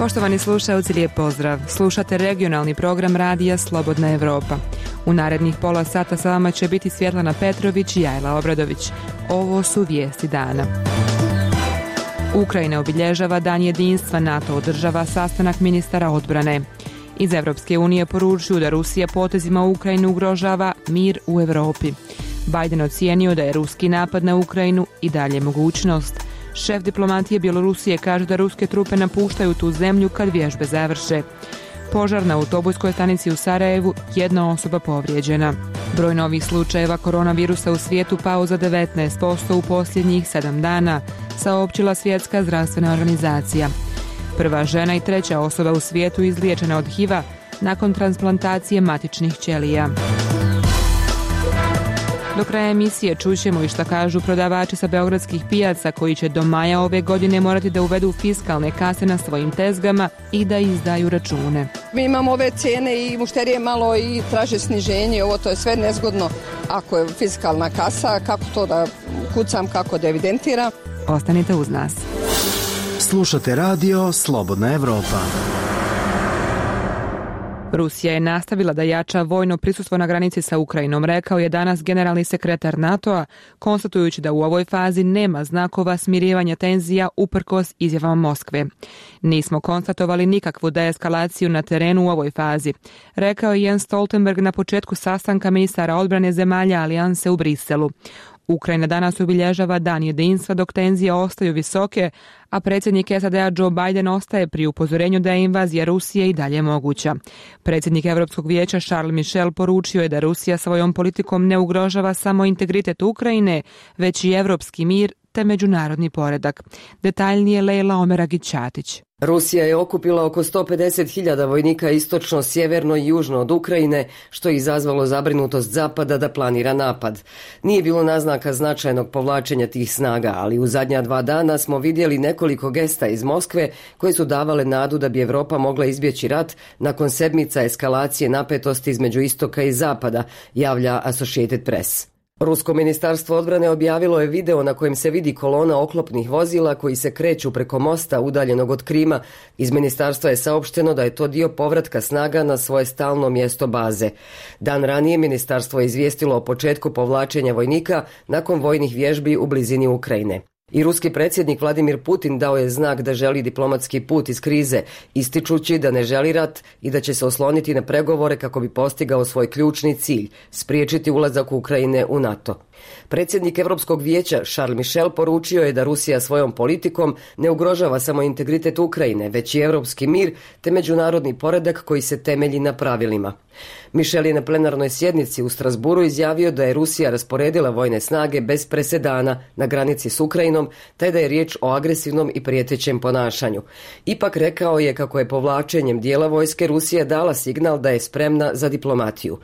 Poštovani slušalci, lijep pozdrav. Slušate regionalni program radija Slobodna Evropa. U narednih pola sata sa vama će biti Svjetlana Petrović i Jajla Obradović. Ovo su vijesti dana. Ukrajina obilježava Dan jedinstva, NATO održava sastanak ministara odbrane. Iz Evropske unije poručuju da Rusija potezima Ukrajinu ugrožava mir u Europi. Biden ocijenio da je ruski napad na Ukrajinu i dalje mogućnost. Šef diplomatije Bjelorusije kaže da ruske trupe napuštaju tu zemlju kad vježbe završe. Požar na autobuskoj stanici u Sarajevu, jedna osoba povrijeđena. Broj novih slučajeva koronavirusa u svijetu pao za 19% u posljednjih 7 dana, saopćila Svjetska zdravstvena organizacija. Prva žena i treća osoba u svijetu izliječena od HIV-a nakon transplantacije matičnih ćelija. Do kraja emisije čućemo i šta kažu prodavači sa beogradskih pijaca koji će do maja ove godine morati da uvedu fiskalne kase na svojim tezgama i da izdaju račune. Mi imamo ove cijene i mušterije malo i traže sniženje, ovo to je sve nezgodno ako je fiskalna kasa, kako to da kucam, kako da evidentiram. Ostanite uz nas. Slušate radio Slobodna Evropa. Rusija je nastavila da jača vojno prisustvo na granici sa Ukrajinom, rekao je danas generalni sekretar NATO-a, konstatujući da u ovoj fazi nema znakova smirivanja tenzija uprkos izjavama Moskve. Nismo konstatovali nikakvu deeskalaciju na terenu u ovoj fazi, rekao je Jens Stoltenberg na početku sastanka ministara odbrane zemalja alijanse u Briselu. Ukrajina danas obilježava Dan jedinstva dok tenzije ostaju visoke, a predsjednik SAD-a Joe Biden ostaje pri upozorenju da je invazija Rusije i dalje moguća. Predsjednik Europskog vijeća Charles Michel poručio je da Rusija svojom politikom ne ugrožava samo integritet Ukrajine, već i europski mir te međunarodni poredak. Detaljnije Lejla Omeragić-Ćatić. Rusija je okupila oko 150.000 vojnika istočno, sjeverno i južno od Ukrajine, što je izazvalo zabrinutost Zapada da planira napad. Nije bilo naznaka značajnog povlačenja tih snaga, ali u zadnja 2 dana smo vidjeli nekoliko gesta iz Moskve koje su davale nadu da bi Evropa mogla izbjeći rat nakon sedmica eskalacije napetosti između istoka i zapada, javlja Associated Press. Rusko ministarstvo odbrane objavilo je video na kojem se vidi kolona oklopnih vozila koji se kreću preko mosta udaljenog od Krima. Iz ministarstva je saopšteno da je to dio povratka snaga na svoje stalno mjesto baze. Dan ranije ministarstvo je izvijestilo o početku povlačenja vojnika nakon vojnih vježbi u blizini Ukrajine. I ruski predsjednik Vladimir Putin dao je znak da želi diplomatski put iz krize, ističući da ne želi rat i da će se osloniti na pregovore kako bi postigao svoj ključni cilj, spriječiti ulazak Ukrajine u NATO. Predsjednik Europskog vijeća Charles Michel poručio je da Rusija svojom politikom ne ugrožava samo integritet Ukrajine, već i europski mir te međunarodni poredak koji se temelji na pravilima. Michel je na plenarnoj sjednici u Strasburu izjavio da je Rusija rasporedila vojne snage bez presedana na granici s Ukrajinom, te da je riječ o agresivnom i prijetećem ponašanju. Ipak rekao je kako je povlačenjem dijela vojske Rusija dala signal da je spremna za diplomatiju.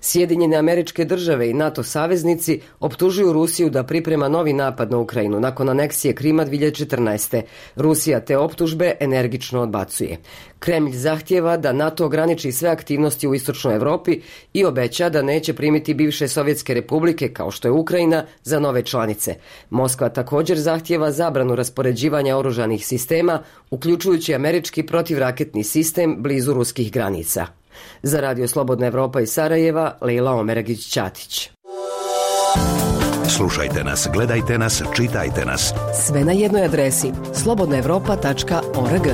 Sjedinjene Američke Države i NATO saveznici optužuju Rusiju da priprema novi napad na Ukrajinu nakon aneksije Krima 2014. Rusija te optužbe energično odbacuje. Kremlj zahtijeva da NATO ograniči sve aktivnosti u istočnoj Europi i obeća da neće primiti bivše sovjetske republike kao što je Ukrajina za nove članice. Moskva također zahtijeva zabranu raspoređivanja oružanih sistema, uključujući američki protivraketni sistem blizu ruskih granica. Za Radio Slobodna Evropa iz Sarajeva, Lejla Omeragić-Ćatić. Slušajte nas, gledajte nas, čitajte nas. Sve na jednoj adresi slobodnaevropa.org.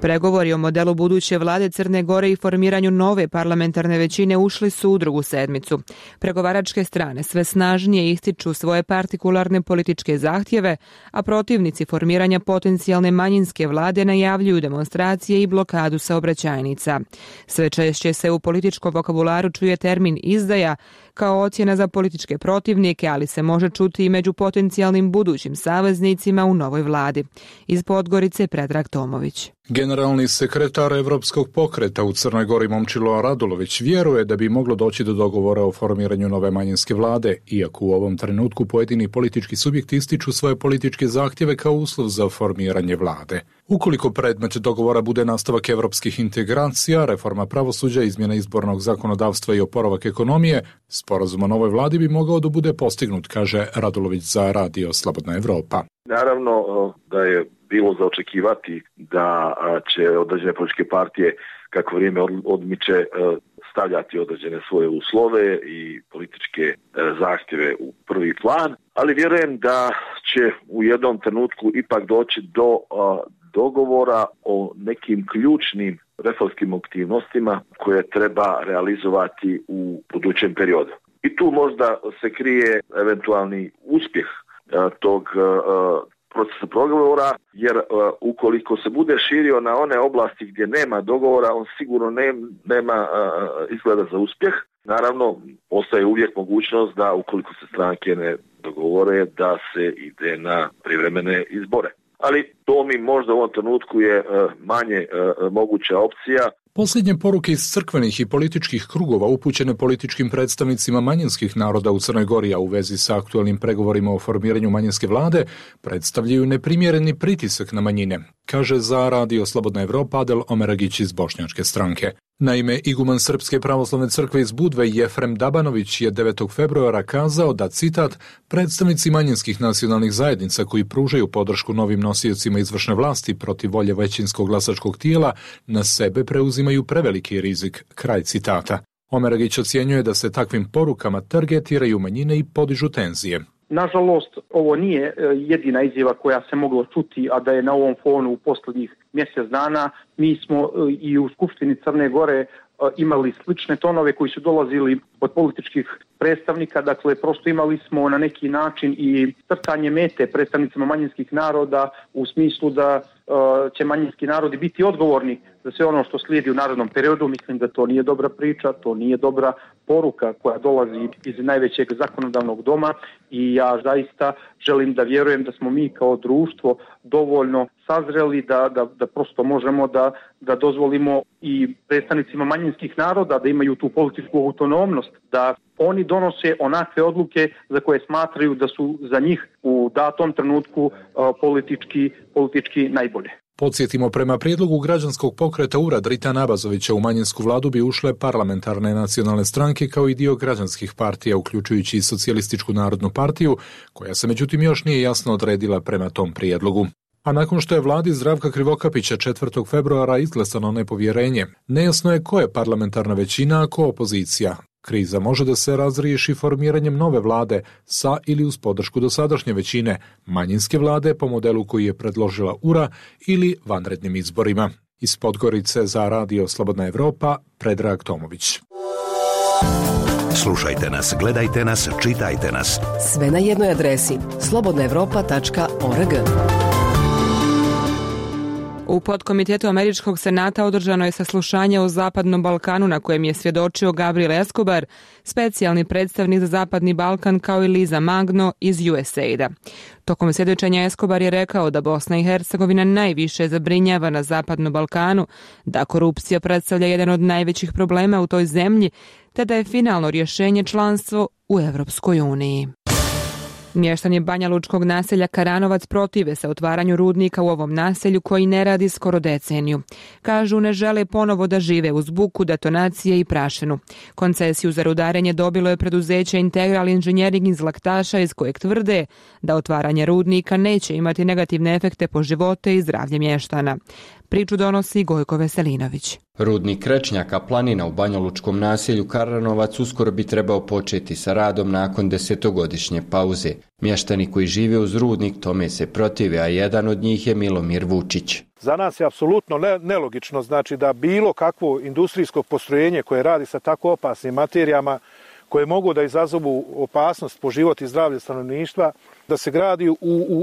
Pregovori o modelu buduće vlade Crne Gore i formiranju nove parlamentarne većine ušli su u drugu sedmicu. Pregovaračke strane sve snažnije ističu svoje partikularne političke zahtjeve, a protivnici formiranja potencijalne manjinske vlade najavljuju demonstracije i blokadu saobraćajnica. Sve češće se u političkom vokabularu čuje termin izdaja kao ocjena za političke protivnike, ali se može čuti i među potencijalnim budućim saveznicima u novoj vladi. Iz Podgorice Predrag Tomović. Generalni sekretar Evropskog pokreta u Crnoj Gori Momčilo Radulović vjeruje da bi moglo doći do dogovora o formiranju nove manjinske vlade, iako u ovom trenutku pojedini politički subjekti ističu svoje političke zahtjeve kao uslov za formiranje vlade. Ukoliko predmet dogovora bude nastavak evropskih integracija, reforma pravosuđa, izmjena izbornog zakonodavstva i oporavak ekonomije, sporazum o novoj vladi bi mogao da bude postignut, kaže Radulović za Radio Slobodna Evropa. Naravno da je bilo za očekivati da će određene političke partije kako vrijeme odmiče stavljati određene svoje uslove i političke zahtjeve u prvi plan, ali vjerujem da će u jednom trenutku ipak doći do dogovora o nekim ključnim reformskim aktivnostima koje treba realizovati u budućem periodu. I tu možda se krije eventualni uspjeh tog procesa pregovora, jer ukoliko se bude širio na one oblasti gdje nema dogovora, on sigurno nema izgleda za uspjeh. Naravno, ostaje uvijek mogućnost da ukoliko se stranke ne dogovore, da se ide na privremene izbore. Ali to mi možda u ovom trenutku je manje moguća opcija. Posljednje poruke iz crkvenih i političkih krugova upućene političkim predstavnicima manjinskih naroda u Crnoj Gori, a u vezi sa aktualnim pregovorima o formiranju manjinske vlade, predstavljaju neprimjereni pritisak na manjine, kaže za Radio Slobodna Evropa Adel Omeragić iz Bošnjačke stranke. Naime, iguman Srpske pravoslavne crkve iz Budve Jefrem Dabanović je 9. februara kazao da, citat, predstavnici manjinskih nacionalnih zajednica koji pružaju podršku novim nosiocima izvršne vlasti protiv volje većinskog glasačkog tijela na sebe preuzimaju preveliki rizik, kraj citata. Omeragić ocjenjuje da se takvim porukama targetiraju manjine i podižu tenzije. Nažalost, ovo nije jedina izjava koja se moglo čuti, a da je na ovom fonu u posljednjih mjesec dana. Mi smo i u Skupštini Crne Gore imali slične tonove koji su dolazili od političkih predstavnika, dakle prosto imali smo na neki način i crtanje mete predstavnicima manjinskih naroda u smislu da će manjinski narodi biti odgovorni za sve ono što slijedi u narednom periodu. Mislim da to nije dobra priča, to nije dobra poruka koja dolazi iz najvećeg zakonodavnog doma i ja zaista želim da vjerujem da smo mi kao društvo dovoljno sazreli da prosto možemo da dozvolimo i predstavnicima manjinskih naroda da imaju tu političku autonomnost, da oni donose onakve odluke za koje smatraju da su za njih u datom trenutku politički najbolje. Podsjetimo, prema prijedlogu građanskog pokreta URA Dritana Abazovića u manjinsku vladu bi ušle parlamentarne nacionalne stranke kao i dio građanskih partija, uključujući i Socijalističku narodnu partiju, koja se međutim još nije jasno odredila prema tom prijedlogu. A nakon što je vladi Zdravka Krivokapića 4. februara izglasano nepovjerenje, nejasno je ko je parlamentarna većina, a ko opozicija. Kriza može da se razriješi formiranjem nove vlade sa ili uz podršku dosadašnje većine, manjinske vlade po modelu koji je predložila URA ili vanrednim izborima. Iz Podgorice za Radio Slobodna Evropa, Predrag Tomović. Slušajte nas, gledajte nas, čitajte nas. Sve na jednoj adresi slobodnaevropa.org. U podkomitetu Američkog senata održano je saslušanje o Zapadnom Balkanu na kojem je svjedočio Gabriel Escobar, specijalni predstavnik za Zapadni Balkan, kao i Liza Magno iz USAID-a. Tokom svjedočenja Escobar je rekao da Bosna i Hercegovina najviše zabrinjava na Zapadnom Balkanu, da korupcija predstavlja jedan od najvećih problema u toj zemlji, te da je finalno rješenje članstvo u Europskoj uniji. Mještani banjalučkog naselja Karanovac protive se otvaranju rudnika u ovom naselju koji ne radi skoro deceniju. Kažu ne žele ponovo da žive uz buku, detonacije i prašinu. Koncesiju za rudarenje dobilo je preduzeće Integral Engineering iz Laktaša, iz kojeg tvrde da otvaranje rudnika neće imati negativne efekte po živote i zdravlje mještana. Priču donosi Gojko Veselinović. Rudnik Krečnjaka planina u banjalučkom naselju Karanovac uskoro bi trebao početi sa radom nakon 10-godišnje pauze. Mještani koji žive uz rudnik tome se protive, a jedan od njih je Milomir Vučić. Za nas je apsolutno nelogično, znači da bilo kakvo industrijsko postrojenje koje radi sa tako opasnim materijama, koje mogu da izazovu opasnost po život i zdravlje stanovništva, da se gradi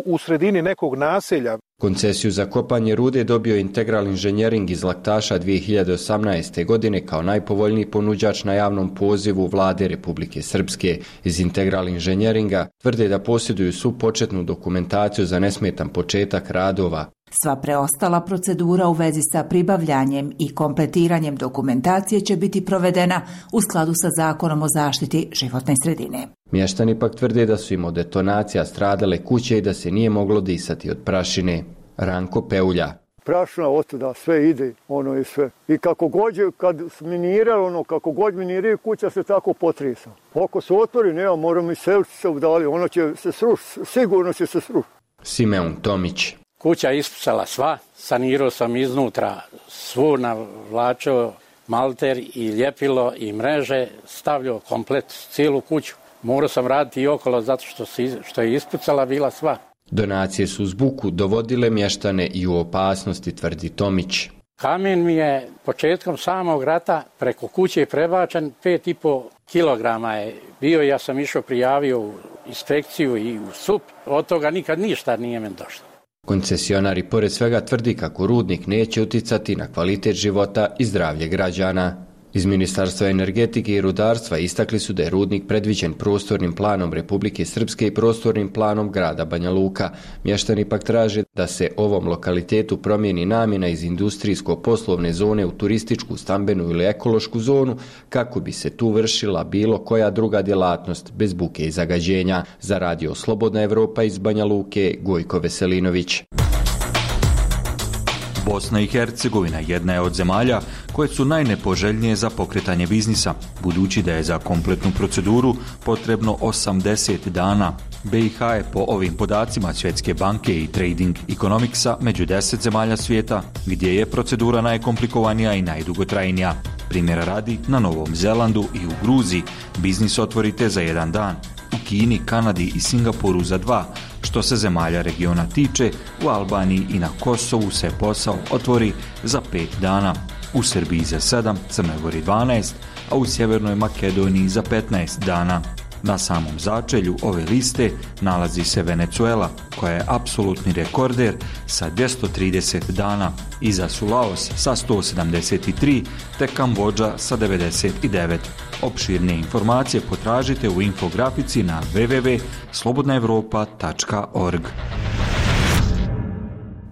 u sredini nekog naselja. Koncesiju za kopanje rude dobio Integral Engineering iz Laktaša 2018. godine kao najpovoljniji ponuđač na javnom pozivu vlade Republike Srpske. Iz Integral Engineeringa tvrde da posjeduju svu početnu dokumentaciju za nesmetan početak radova. Sva preostala procedura u vezi sa pribavljanjem i kompletiranjem dokumentacije će biti provedena u skladu sa Zakonom o zaštiti životne sredine. Mještani pak tvrde da su im od detonacija stradale kuće i da se nije moglo disati od prašine. Ranko Peulja. Prašina otuda, sve ide, ono i sve. I kako god, kad miniralo, kako god miniraju, kuća se tako potresa. Ako se otvori, moramo i seliti se udali, ono će se srušiti, sigurno će se srušiti. Simeon Tomić. Kuća ispucala sva, sanirao sam iznutra, svu navlačio malter i ljepilo i mreže, stavljao komplet cijelu kuću. Morao sam raditi i okolo zato što je ispucala bila sva. Donacije su uz buku dovodile mještane i u opasnosti, tvrdi Tomić. Kamen mi je početkom samog rata preko kuće prebačen, 5,5 kilograma je bio. Ja sam išao, prijavio u inspekciju i u SUP. Od toga nikad ništa nije men došlo. Koncesionari pored svega tvrdi kako rudnik neće uticati na kvalitet života i zdravlje građana. Iz Ministarstva energetike i rudarstva istakli su da je rudnik predviđen prostornim planom Republike Srpske i prostornim planom grada Banja Luka. Mještani pak traže da se ovom lokalitetu promijeni namjena iz industrijsko-poslovne zone u turističku, stambenu ili ekološku zonu kako bi se tu vršila bilo koja druga djelatnost bez buke i zagađenja. Za radio Slobodna Evropa iz Banja Luke, Gojko Veselinović. Bosna i Hercegovina jedna je od zemalja koje su najnepoželjnije za pokretanje biznisa, budući da je za kompletnu proceduru potrebno 80 dana. BiH je po ovim podacima Svjetske banke i Trading Economicsa među 10 zemalja svijeta gdje je procedura najkomplikovanija i najdugotrajnija. Primjera radi, na Novom Zelandu i u Gruziji biznis otvorite za 1 dan, u Kini, Kanadi i Singapuru za 2, što se zemalja regiona tiče, u Albaniji i na Kosovu se posao otvori za 5 dana, u Srbiji za 7, Crnoj Gori 12, a u Sjevernoj Makedoniji za 15 dana. Na samom začelju ove liste nalazi se Venezuela, koja je apsolutni rekorder sa 230 dana. Iza su Laos sa 173, te Kambodža sa 99. Opširne informacije potražite u infografici na www.slobodnaevropa.org.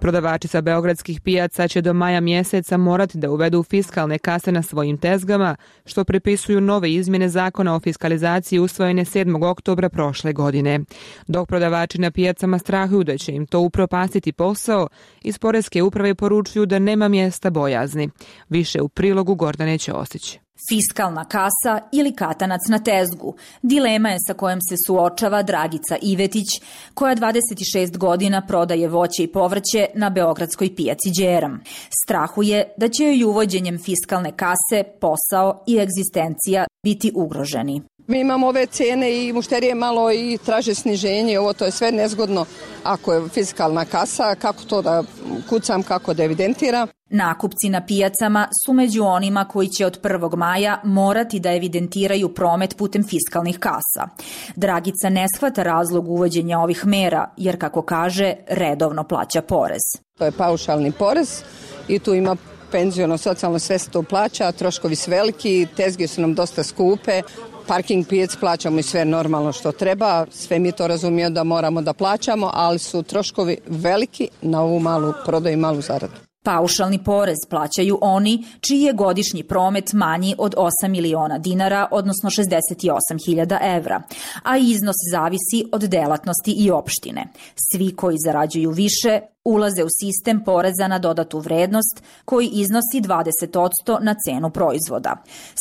Prodavači sa beogradskih pijaca će do maja mjeseca morati da uvedu fiskalne kase na svojim tezgama, što pripisuju nove izmjene zakona o fiskalizaciji usvojene 7. oktobra prošle godine. Dok prodavači na pijacama strahuju da će im to upropastiti posao, iz Poreske uprave poručuju da nema mjesta bojazni. Više u prilogu Gordane Ćosić. Fiskalna kasa ili katanac na tezgu. Dilema je sa kojom se suočava Dragica Ivetić, koja 26 godina prodaje voće i povrće na beogradskoj pijaci Đeram. Strahuje da će joj uvođenjem fiskalne kase posao i egzistencija biti ugroženi. Mi imamo ove cijene i mušterije malo i traže sniženje, ovo to je sve nezgodno ako je fiskalna kasa, kako to da kucam, kako da evidentiram. Nakupci na pijacama su među onima koji će od 1. maja morati da evidentiraju promet putem fiskalnih kasa. Dragica ne shvata razlog uvođenja ovih mera, jer kako kaže, redovno plaća porez. To je paušalni porez i tu ima penziono, socijalno, sve se to plaća, troškovi su veliki, tezge su nam dosta skupe, parking pijac plaćamo i sve normalno što treba, sve mi to razumijemo da moramo da plaćamo, ali su troškovi veliki na ovu malu prodaju i malu zaradu. Paušalni porez plaćaju oni čiji je godišnji promet manji od 8 miliona dinara, odnosno 68.000 evra, a iznos zavisi od delatnosti i opštine. Svi koji zarađuju više ulaze u sistem poreza na dodatu vrednost koji iznosi 20% na cenu proizvoda.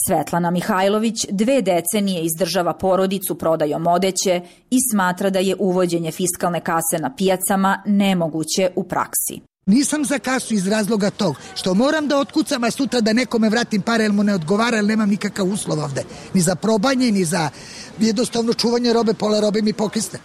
Svetlana Mihajlović 2 decenije izdržava porodicu prodajom odeće i smatra da je uvođenje fiskalne kase na pijacama nemoguće u praksi. Nisam za kasu iz razloga tog što moram da otkucam, a sutra da nekome vratim pare jer mu ne odgovara, jer nemam nikakav uslov ovde. Ni za probanje, ni za jednostavno čuvanje robe, pola robe mi pokisne.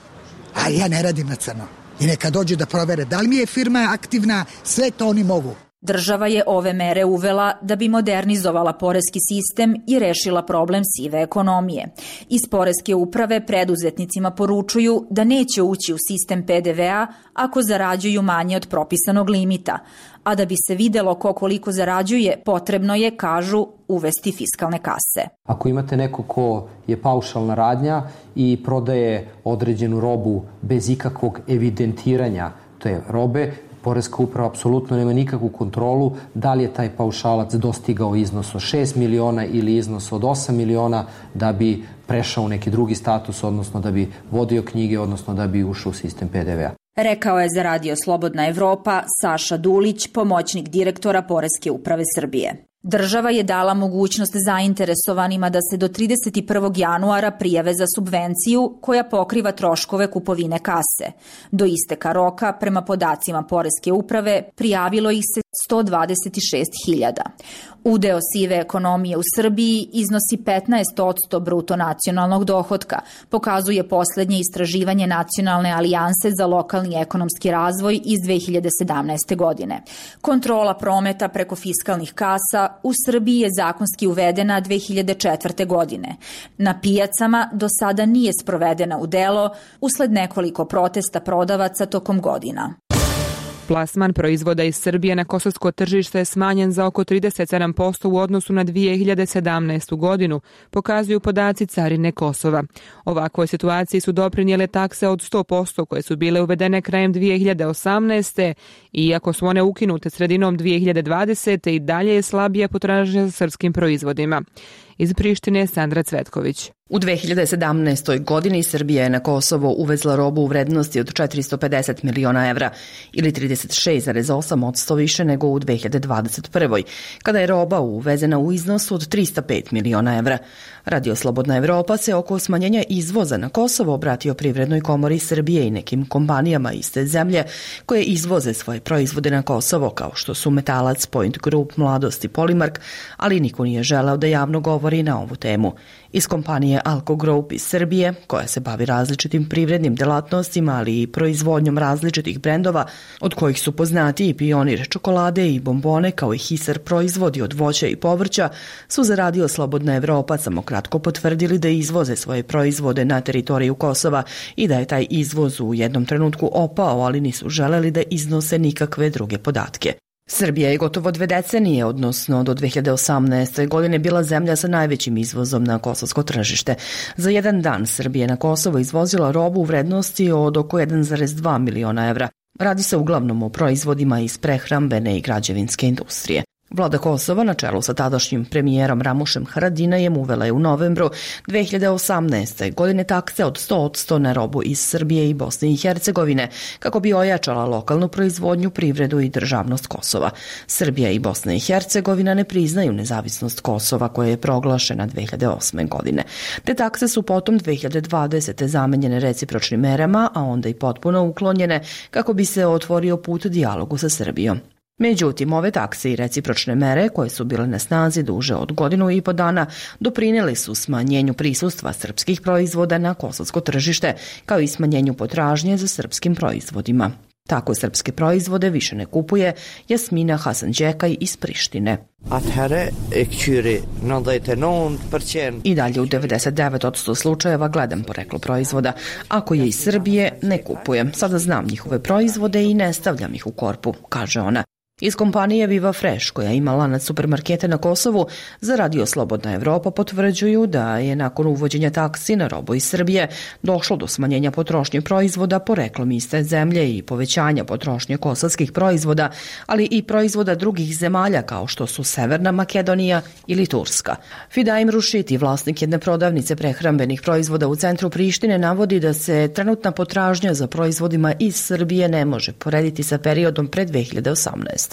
A ja ne radim na crno. I neka dođu da provere da li mi je firma aktivna, sve to oni mogu. Država je ove mere uvela da bi modernizovala poreski sistem i rešila problem sive ekonomije. Iz Poreske uprave preduzetnicima poručuju da neće ući u sistem PDV-a ako zarađuju manje od propisanog limita, a da bi se videlo ko koliko zarađuje, potrebno je, kažu, uvesti fiskalne kase. Ako imate neko ko je paušalna radnja i prodaje određenu robu bez ikakvog evidentiranja te robe, Poreska uprava apsolutno nema nikakvu kontrolu da li je taj paušalac dostigao iznos od 6 miliona ili iznos od 8 miliona da bi prešao u neki drugi status, odnosno da bi vodio knjige, odnosno da bi ušao u sistem PDV-a. Rekao je za Radio Slobodna Evropa Saša Dulić, pomoćnik direktora Poreske uprave Srbije. Država je dala mogućnost zainteresovanima da se do 31. januara prijave za subvenciju koja pokriva troškove kupovine kase. Do isteka roka, prema podacima Poreske uprave, prijavilo ih se 126.000. Udeo sive ekonomije u Srbiji iznosi 15% bruto nacionalnog dohotka, pokazuje poslednje istraživanje Nacionalne alijanse za lokalni ekonomski razvoj iz 2017. godine. Kontrola prometa preko fiskalnih kasa u Srbiji je zakonski uvedena 2004. godine. Na pijacama do sada nije sprovedena u delo usled nekoliko protesta prodavaca tokom godina. Plasman proizvoda iz Srbije na kosovsko tržište je smanjen za oko 37% u odnosu na 2017. godinu, pokazuju podaci Carine Kosova. Ovakvoj situaciji su doprinijele takse od 100% koje su bile uvedene krajem 2018. Iako su one ukinute sredinom 2020. i dalje je slabija potražnja za srpskim proizvodima. Iz Prištine Sandra Cvetković. U 2017. godini Srbija je na Kosovo uvezla robu u vrednosti od 450 miliona evra ili 36,8% više nego u 2021. kada je roba uvezena u iznosu od 305 miliona evra. Radio Slobodna Evropa se oko smanjenja izvoza na Kosovo obratio Privrednoj komori Srbije i nekim kompanijama iste zemlje koje izvoze svoje proizvode na Kosovo, kao što su Metalac, Point Group, Mladost i Polimark, ali niko nije želeo da javno govori na ovu temu. Iz kompanije Alko Group iz Srbije, koja se bavi različitim privrednim delatnostima, ali i proizvodnjom različitih brendova, od kojih su poznati i Pionir čokolade i bombone, kao i Hisar proizvodi od voća i povrća, su za Radio Slobodna Evropa samo kratko potvrdili da izvoze svoje proizvode na teritoriju Kosova i da je taj izvoz u jednom trenutku opao, ali nisu želeli da iznose nikakve druge podatke. Srbija je gotovo 2 decenije, odnosno do 2018. godine, bila zemlja sa najvećim izvozom na kosovsko tržište. Za jedan dan Srbija na Kosovo izvozila robu u vrednosti od oko 1,2 miliona evra. Radi se uglavnom o proizvodima iz prehrambene i građevinske industrije. Vlada Kosova na čelu sa tadašnjim premijerom Ramušem Haradinajem uvela je u novembru 2018. godine takse od 100% na robu iz Srbije i Bosne i Hercegovine kako bi ojačala lokalnu proizvodnju, privredu i državnost Kosova. Srbija i Bosna i Hercegovina ne priznaju nezavisnost Kosova koja je proglašena 2008. godine. Te takse su potom 2020. zamenjene recipročnim merama, a onda i potpuno uklonjene kako bi se otvorio put dijalogu sa Srbijom. Međutim, ove takse i recipročne mere, koje su bile na snazi duže od 1,5 dana, doprinijeli su smanjenju prisustva srpskih proizvoda na kosovsko tržište, kao i smanjenju potražnje za srpskim proizvodima. Tako srpske proizvode više ne kupuje Jasmina Hasanđekaj iz Prištine. I dalje u 99% slučajeva gledam poreklo proizvoda. Ako je iz Srbije, ne kupujem. Sada znam njihove proizvode i ne stavljam ih u korpu, kaže ona. Iz kompanije Viva Fresh, koja ima lanac supermarkete na Kosovu, za Radio Slobodna Evropa potvrđuju da je nakon uvođenja taksi na robu iz Srbije došlo do smanjenja potrošnje proizvoda poreklom iste zemlje i povećanja potrošnje kosovskih proizvoda, ali i proizvoda drugih zemalja kao što su Severna Makedonija ili Turska. Fidaim Rušiti, vlasnik jedne prodavnice prehrambenih proizvoda u centru Prištine, navodi da se trenutna potražnja za proizvodima iz Srbije ne može porediti sa periodom pred 2018.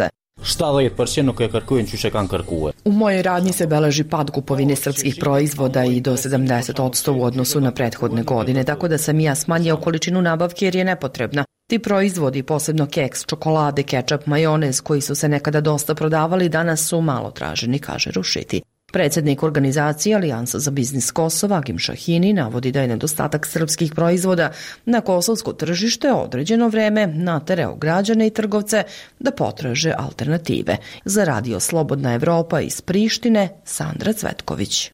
U mojoj radnji se beleži pad kupovine srpskih proizvoda i do 70% u odnosu na prethodne godine, tako da sam ja smanjio količinu nabavke jer je nepotrebna. Ti proizvodi, posebno keks, čokolade, kečap, majonez, koji su se nekada dosta prodavali, danas su malo traženi, kaže Rušiti. Predsjednik organizacije Alijansa za biznis Kosova, Agim Šahini, navodi da je nedostatak srpskih proizvoda na kosovsko tržište određeno vreme naterao građane i trgovce da potraže alternative. Za Radio Slobodna Evropa iz Prištine, Sandra Cvetković.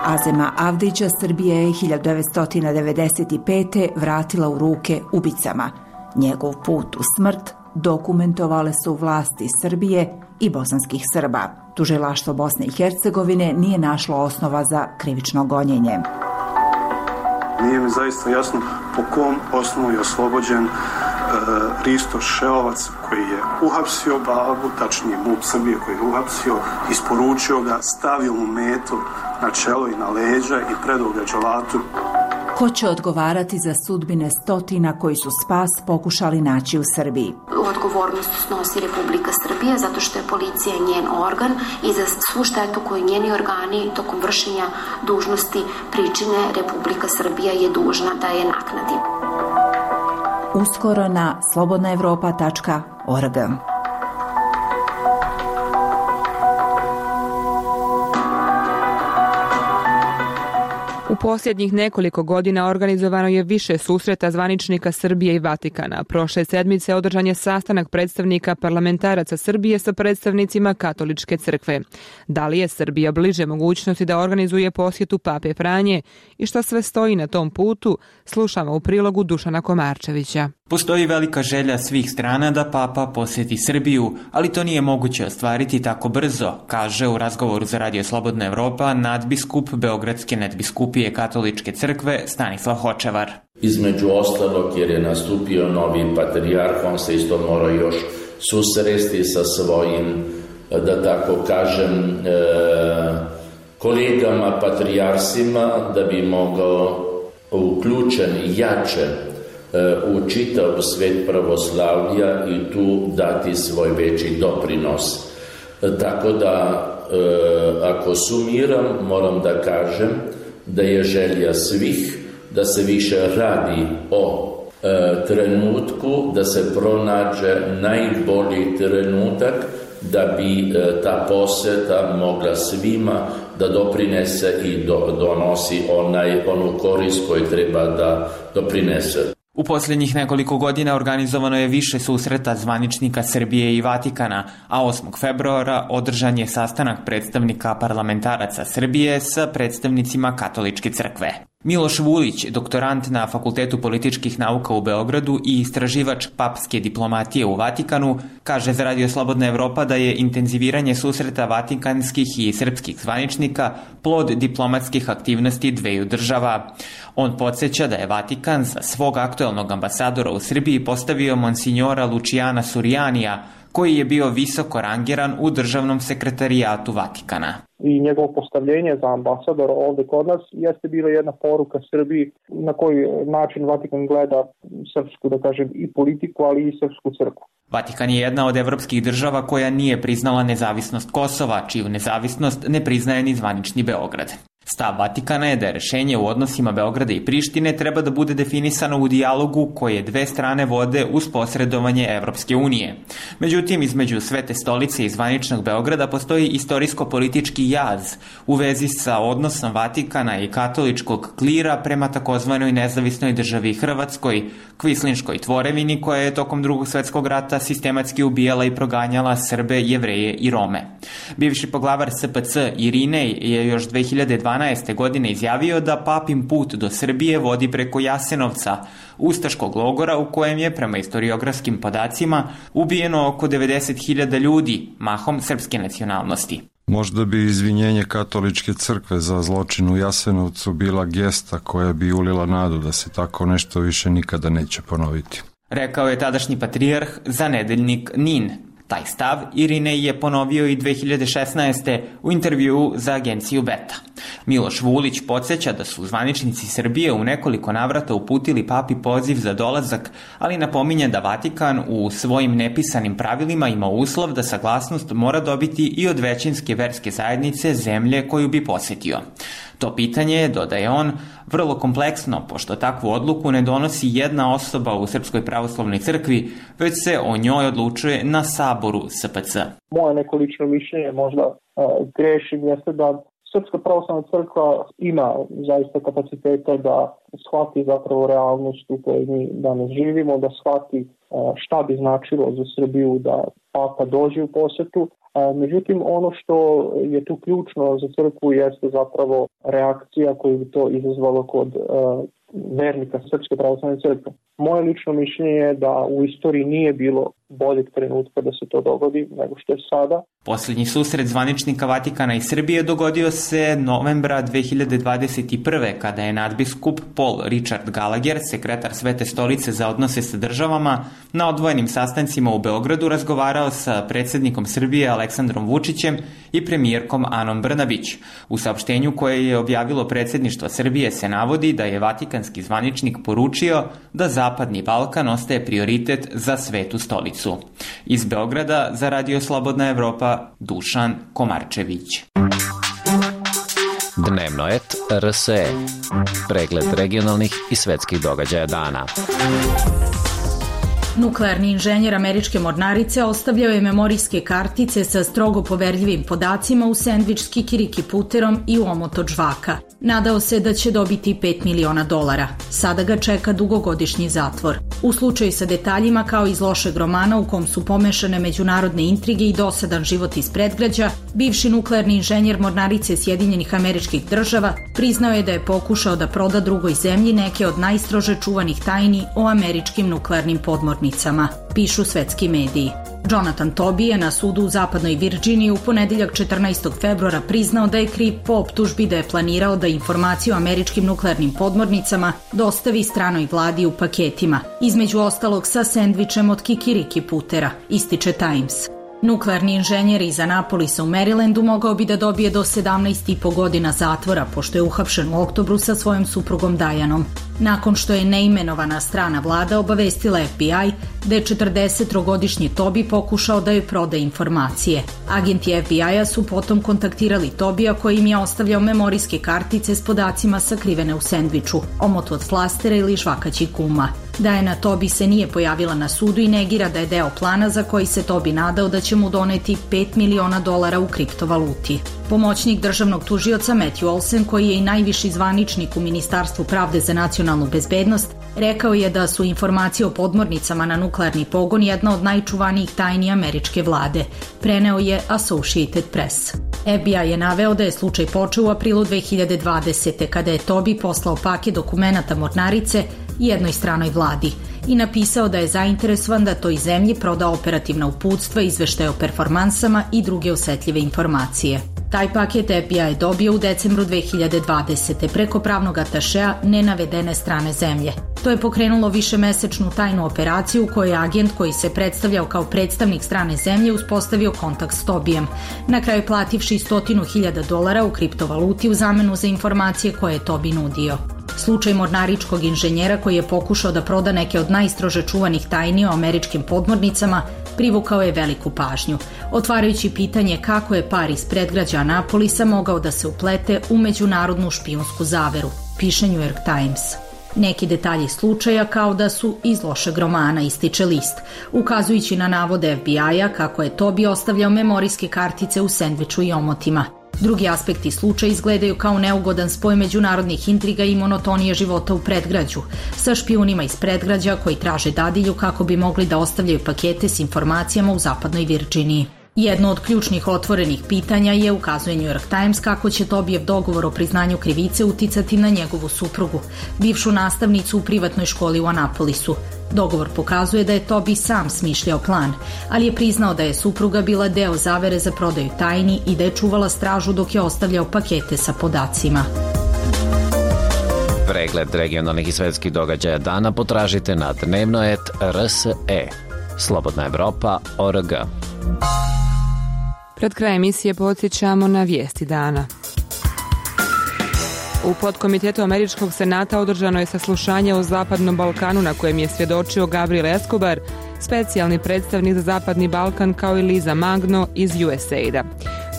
Azema Avdića Srbija je 1995. vratila u ruke ubicama. Njegov put u smrt dokumentovale su vlasti Srbije i bosanskih Srba. Tužilaštvo Bosne i Hercegovine nije našlo osnova za krivično gonjenje. Nije mi zaista jasno po kom osnovu je oslobođen Risto Šeovac koji je uhapsio babu, tačnije MUP Srbije koji je uhapsio, isporučio ga, stavio mu metu na čelo i na leđa i predao ga dželatu. Ko će odgovarati za sudbine stotina koji su spas pokušali naći u Srbiji? Odgovornost snosi Republika Srbija zato što je policija njen organ i za svu štetu koju njeni organi tokom vršenja dužnosti pričine Republika Srbija je dužna da je naknadi. Uskoro na slobodnaevropa.org. U posljednjih nekoliko godina organizovano je više susreta zvaničnika Srbije i Vatikana. Prošle sedmice održan je sastanak predstavnika parlamentaraca Srbije sa predstavnicima Katoličke crkve. Da li je Srbija bliže mogućnosti da organizuje posjetu Pape Franje i što sve stoji na tom putu, slušamo u prilogu Dušana Komarčevića. Postoji velika želja svih strana da Papa posjeti Srbiju, ali to nije moguće ostvariti tako brzo, kaže u razgovoru za Radio Slobodna Evropa nadbiskup Beogradske nadbiskupije Katoličke crkve Stanislav Hočevar. Između ostalog, jer je nastupio novi patrijarh, on se isto mora još susresti sa svojim, da tako kažem, kolegama patrijarsima, da bi mogao uključen jače u čitav svet pravoslavlja i tu dati svoj veći doprinos. Tako da, ako sumiram, moram da kažem da je želja svih da se više radi o trenutku, da se pronađe najbolji trenutak da bi ta poseta mogla svima da doprinese i donosi onu korist koju treba da doprinese. U posljednjih nekoliko godina organizovano je više susreta zvaničnika Srbije i Vatikana, a 8. februara održan je sastanak predstavnika parlamentaraca Srbije sa predstavnicima Katoličke crkve. Miloš Vulić, doktorant na Fakultetu političkih nauka u Beogradu i istraživač papske diplomatije u Vatikanu, kaže za Radio Slobodna Evropa da je intenziviranje susreta vatikanskih i srpskih zvaničnika plod diplomatskih aktivnosti dveju država. On podsjeća da je Vatikan za svog aktuelnog ambasadora u Srbiji postavio monsinjora Lučijana Surijanija, koji je bio visoko rangiran u državnom sekretarijatu Vatikana. I njegovo postavljenje za ambasadora ovdje kod nas jeste bila jedna poruka Srbiji na koji način Vatikan gleda srpsku, da kažem, i politiku, ali i srpsku crkvu. Vatikan je jedna od evropskih država koja nije priznala nezavisnost Kosova, čiju nezavisnost ne priznaje ni zvanični Beograd. Stav Vatikana je da je rešenje u odnosima Beograda i Prištine treba da bude definisano u dijalogu koje dve strane vode uz posredovanje Evropske unije. Međutim, između Svete stolice i zvaničnog Beograda postoji istorijsko-politički jaz u vezi sa odnosom Vatikana i katoličkog klira prema takozvanoj nezavisnoj državi Hrvatskoj, kvislinškoj tvorevini koja je tokom Drugog svjetskog rata sistematski ubijala i proganjala Srbe, Jevreje i Rome. Bivši poglavar SPC Irinej je još 2012. godine izjavio da papin put do Srbije vodi preko Jasenovca, ustaškog logora u kojem je, prema historiografskim podacima, ubijeno oko 90.000 ljudi, mahom srpske nacionalnosti. Možda bi izvinjenje Katoličke crkve za zločin u Jasenovcu bila gesta koja bi ulila nadu da se tako nešto više nikada neće ponoviti. Rekao je tadašnji patrijarh za nedeljnik NIN. Taj stav Irinej je ponovio i 2016. u intervjuu za agenciju Beta. Miloš Vulić podsjeća da su zvaničnici Srbije u nekoliko navrata uputili papi poziv za dolazak, ali napominje da Vatikan u svojim nepisanim pravilima ima uslov da saglasnost mora dobiti i od većinske verske zajednice zemlje koju bi posjetio. To pitanje je, dodaje on, vrlo kompleksno, pošto takvu odluku ne donosi jedna osoba u Srpskoj pravoslavnoj crkvi, već se o njoj odlučuje na saboru SPC. Moje neko lično mišljenje, možda grešim, jeste da Srpska pravoslavna crkva ima zaista kapaciteta da shvati zapravo realnost u kojoj mi danas živimo, da shvati šta bi značilo za Srbiju da Papa dođe u posjetu. Međutim, ono što je tu ključno za crkvu jeste zapravo reakcija koju bi to izazvalo kod vernika Srpske pravoslavne crkve. Moje lično mišljenje je da u istoriji nije bilo boljeg trenutka da se to dogodi nego što je sada. Posljednji susret zvaničnika Vatikana i Srbije dogodio se novembra 2021. kada je nadbiskup Paul Richard Gallagher, sekretar Svete stolice za odnose sa državama, na odvojenim sastancima u Beogradu razgovarao sa predsjednikom Srbije Aleksandrom Vučićem i premijerkom Anom Brnabić. U saopštenju koje je objavilo predsjedništvo Srbije se navodi da je vatikanski zvaničnik poručio da Zapadni Balkan ostaje prioritet za Svetu stolicu. Iz Beograda za Radio Slobodna Evropa Dušan Komarčević. Dnevno et RSE. Pregled regionalnih i svetskih događaja dana. Nuklearni inženjer američke mornarice ostavljao je memorijske kartice sa strogo poverljivim podacima u sendvič s kikiriki puterom i u omot od žvaka. Nadao se da će dobiti $5 miliona. Sada ga čeka dugogodišnji zatvor. U slučaju sa detaljima kao iz lošeg romana u kom su pomešane međunarodne intrige i dosadan život iz predgrađa, bivši nuklearni inženjer mornarice Sjedinjenih Američkih Država priznao je da je pokušao da proda drugoj zemlji neke od najstrože čuvanih tajni o američkim nuklearnim podmornicama, pišu svetski mediji. Jonathan Toby je na sudu u zapadnoj Virginiji u ponedeljak 14. februara priznao da je kriv po optužbi da je planirao da informaciju o američkim nuklearnim podmornicama dostavi stranoj vladi u paketima, između ostalog sa sendvičem od kikiriki putera, ističe Times. Nuklearni inženjer iz Anapolisa u Marylandu mogao bi da dobije do 17,5 godina zatvora, pošto je uhapšen u oktobru sa svojom suprugom Dianom. Nakon što je neimenovana strana vlada obavestila FBI da je 43-godišnji Toby pokušao da joj proda informacije. Agenti FBI-a su potom kontaktirali Tobija koji im je ostavljao memorijske kartice s podacima sakrivene u sendviču, omot od flastera ili žvakaćih guma. Diana Toby se nije pojavila na sudu i negira da je deo plana za koji se Toby nadao da će mu doneti $5 miliona u kriptovaluti. Pomoćnik državnog tužioca Matthew Olsen, koji je i najviši zvaničnik u Ministarstvu pravde za nacionalnu bezbednost, rekao je da su informacije o podmornicama na nuklearni pogon jedna od najčuvanijih tajni američke vlade, preneo je Associated Press. FBI je naveo da je slučaj počeo u aprilu 2020. kada je Toby poslao paket dokumenata mornarice jednoj stranoj vladi i napisao da je zainteresovan da toj zemlji proda operativna uputstva, izveštaje o performansama i druge osetljive informacije. Taj paket FBI je dobio u decembru 2020. preko pravnog atašea nenavedene strane zemlje. To je pokrenulo višemesečnu tajnu operaciju u kojoj je agent koji se predstavljao kao predstavnik strane zemlje uspostavio kontakt s Tobijem, na kraju plativši $100,000 u kriptovaluti u zamenu za informacije koje je Tobi nudio. Slučaj mornaričkog inženjera koji je pokušao da proda neke od najstrože čuvanih tajni o američkim podmornicama privukao je veliku pažnju, otvarajući pitanje kako je par iz predgrađa Anapolisa mogao da se uplete u međunarodnu špijunsku zaveru, piše New York Times. Neki detalji slučaja kao da su iz lošeg romana, ističe list, ukazujući na navode FBI-a kako je Toby ostavljao memorijske kartice u sendviču i omotima. Drugi aspekti slučaja izgledaju kao neugodan spoj međunarodnih intriga i monotonije života u predgrađu, sa špijunima iz predgrađa koji traže dadilju kako bi mogli da ostavljaju pakete s informacijama u zapadnoj Virginiji. Jedno od ključnih otvorenih pitanja je, ukazuje New York Times, kako će Tobijev dogovor o priznanju krivice uticati na njegovu suprugu, bivšu nastavnicu u privatnoj školi u Anapolisu. Dogovor pokazuje da je Toby sam smišljao plan, ali je priznao da je supruga bila deo zavere za prodaju tajni i da je čuvala stražu dok je ostavljao pakete sa podacima. Pregled regionalnih i svetskih događaja dana potražite na dnevno.rs.e. Slobodna Evropa.org. Pred krajem emisije podsjećamo na vijesti dana. U podkomitetu Američkog senata održano je saslušanje o Zapadnom Balkanu na kojem je svjedočio Gabriel Escobar, specijalni predstavnik za Zapadni Balkan, kao i Liza Magno iz USAID-a.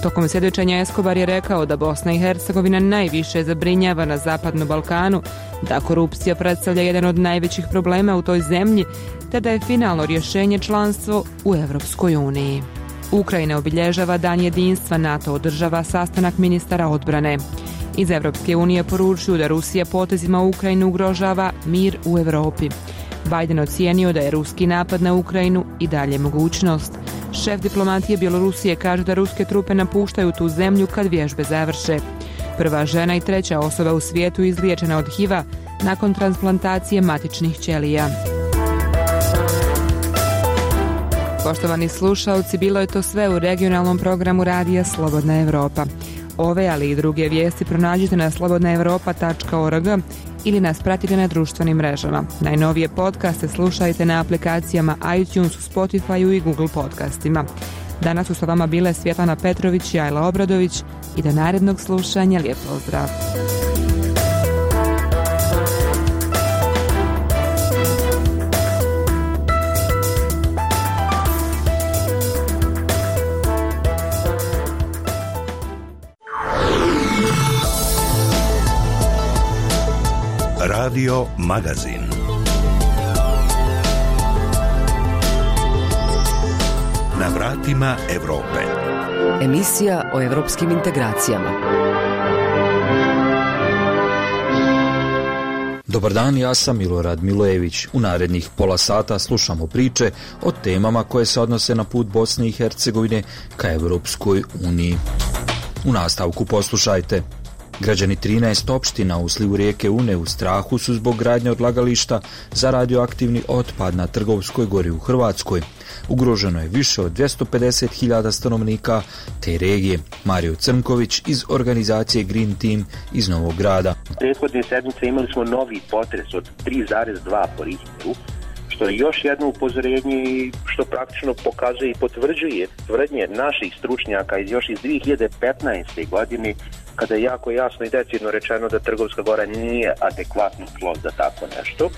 Tokom svjedočenja Escobar je rekao da Bosna i Hercegovina najviše zabrinjava na Zapadnom Balkanu, da korupcija predstavlja jedan od najvećih problema u toj zemlji, te da je finalno rješenje članstvo u Europskoj uniji. Ukrajina obilježava Dan jedinstva, NATO održava sastanak ministara odbrane. Iz Europske unije poručuju da Rusija potezima Ukrajinu ugrožava mir u Europi. Biden ocijenio da je ruski napad na Ukrajinu i dalje mogućnost. Šef diplomatije Bjelorusije kaže da ruske trupe napuštaju tu zemlju kad vježbe završe. Prva žena i treća osoba u svijetu izliječena od HIV-a nakon transplantacije matičnih ćelija. Poštovani slušalci, bilo je to sve u regionalnom programu radija Slobodna Evropa. Ove, ali i druge vijesti pronađite na slobodnaevropa.org ili nas pratite na društvenim mrežama. Najnovije podcaste slušajte na aplikacijama iTunes, Spotify i Google podcastima. Danas su sa vama bile Svjetlana Petrović i Ajla Obradović i do narednog slušanja lijep pozdrav. Radio Magazin. Na vratima Evrope. Emisija o evropskim integracijama. Dobar dan, ja sam Milorad Milojević. U narednih pola sata slušamo priče o temama koje se odnose na put Bosne i Hercegovine ka Evropskoj uniji. U nastavku poslušajte. Građani 13 opština u slivu rijeke Une u strahu su zbog gradnje odlagališta za radioaktivni otpad na Trgovskoj gori u Hrvatskoj. Ugroženo je više od 250.000 stanovnika te regije. Mario Crnković iz organizacije Green Team iz Novog Grada. Prethodne sedmice imali smo novi potres od 3,2 po Richteru, što je još jedno upozorenje što praktično pokazuje i potvrđuje tvrdnje naših stručnjaka još iz 2015. godine, kada je jako jasno i decidno rečeno da Trgovska gora nije adekvatno tlo za tako nešto.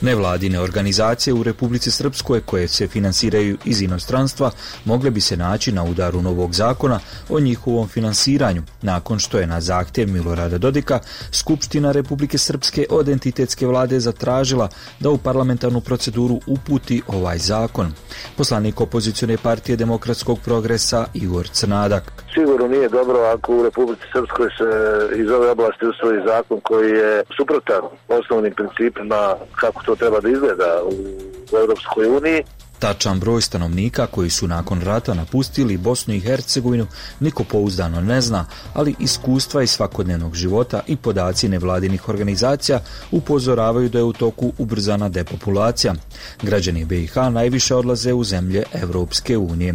Nevladine organizacije u Republici Srpskoj koje se finansiraju iz inostranstva mogle bi se naći na udaru novog zakona o njihovom finansiranju, nakon što je na zahtjev Milorada Dodika Skupština Republike Srpske od entitetske vlade zatražila da u parlamentarnu proceduru uputi ovaj zakon. Poslanik opozicione partije Demokratskog progresa Igor Crnadak. Sigurno nije dobro ako u Republici Srpskoj se iz ove oblasti usvoji zakon koji je suprotan osnovnim principima kako to treba da izgleda u Europskoj uniji. Tačan broj stanovnika koji su nakon rata napustili Bosnu i Hercegovinu niko pouzdano ne zna, ali iskustva iz svakodnevnog života i podaci nevladinih organizacija upozoravaju da je u toku ubrzana depopulacija. Građani BiH najviše odlaze u zemlje Evropske unije.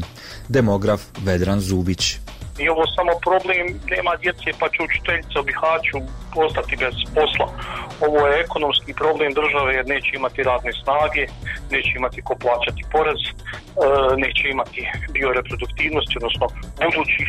Demograf Vedran Zubić. Nije ovo samo problem, nema djece pa će učiteljica u Bihaću ostati bez posla. Ovo je ekonomski problem države jer neće imati radne snage, neće imati ko plaćati porez, neće imati bioreproduktivnosti, odnosno budućih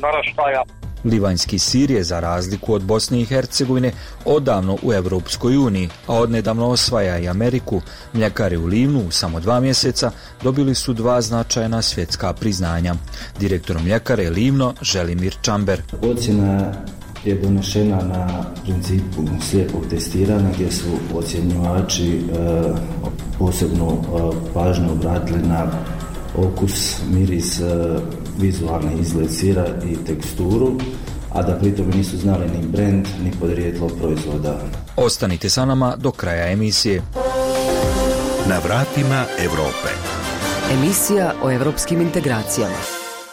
naraštaja. Livanjski sir je za razliku od Bosne i Hercegovine odavno u Evropskoj uniji, a odnedavno osvaja i Ameriku. Mljekari u Livnu u samo 2 mjeseca dobili su 2 značajna svjetska priznanja. Direktor mljekare Livno Želimir Čamber. Ocjena je donešena na principu slijepog testiranja gdje su ocjenjivači posebno pažnju obratili na okus, miris, vizualni izgled sira i teksturu, a da pritom nisu znali ni brend, ni podrijetlo proizvoda. Ostanite sa nama do kraja emisije. Na vratima Evrope. Emisija o evropskim integracijama.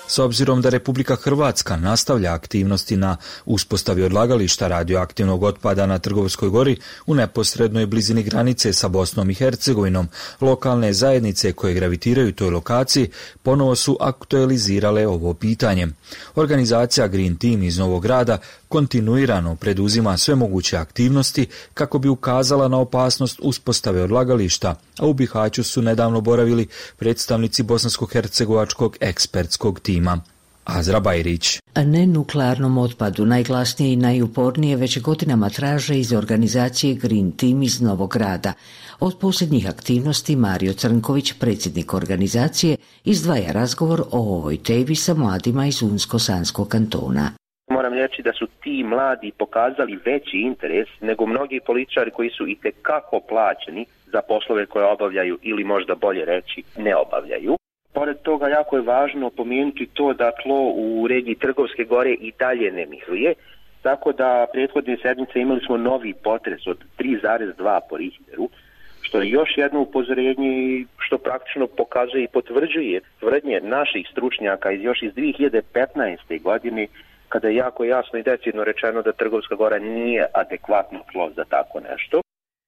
S obzirom da Republika Hrvatska nastavlja aktivnosti na uspostavi odlagališta radioaktivnog otpada na Trgovskoj gori u neposrednoj blizini granice sa Bosnom i Hercegovinom, lokalne zajednice koje gravitiraju toj lokaciji ponovo su aktualizirale ovo pitanje. Organizacija Green Team iz Novog Grada kontinuirano preduzima sve moguće aktivnosti kako bi ukazala na opasnost uspostave odlagališta, a u Bihaću su nedavno boravili predstavnici bosansko-hercegovačkog ekspertskog tima. Azra Bajrić. Nenuklearnom otpadu najglasnije i najupornije već godinama traže iz organizacije Green Team iz Novog Grada. Od posljednjih aktivnosti Mario Crnković, predsjednik organizacije, izdvaja razgovor o ovoj temi sa mladima iz Unsko-Sanskog kantona. Moram reći da su ti mladi pokazali veći interes nego mnogi političari koji su itekako plaćeni za poslove koje obavljaju ili možda bolje reći ne obavljaju. Pored toga jako je važno pomenuti to da tlo u regiji Trgovske gore i dalje ne miruje, tako da prethodne sedmice imali smo novi potres od 3,2 po Richteru, što je još jedno upozorenje što praktično pokazuje i potvrđuje tvrdnje naših stručnjaka još iz 2015. godine, kada je jako jasno i decidno rečeno da Trgovska gora nije adekvatno tlo za tako nešto.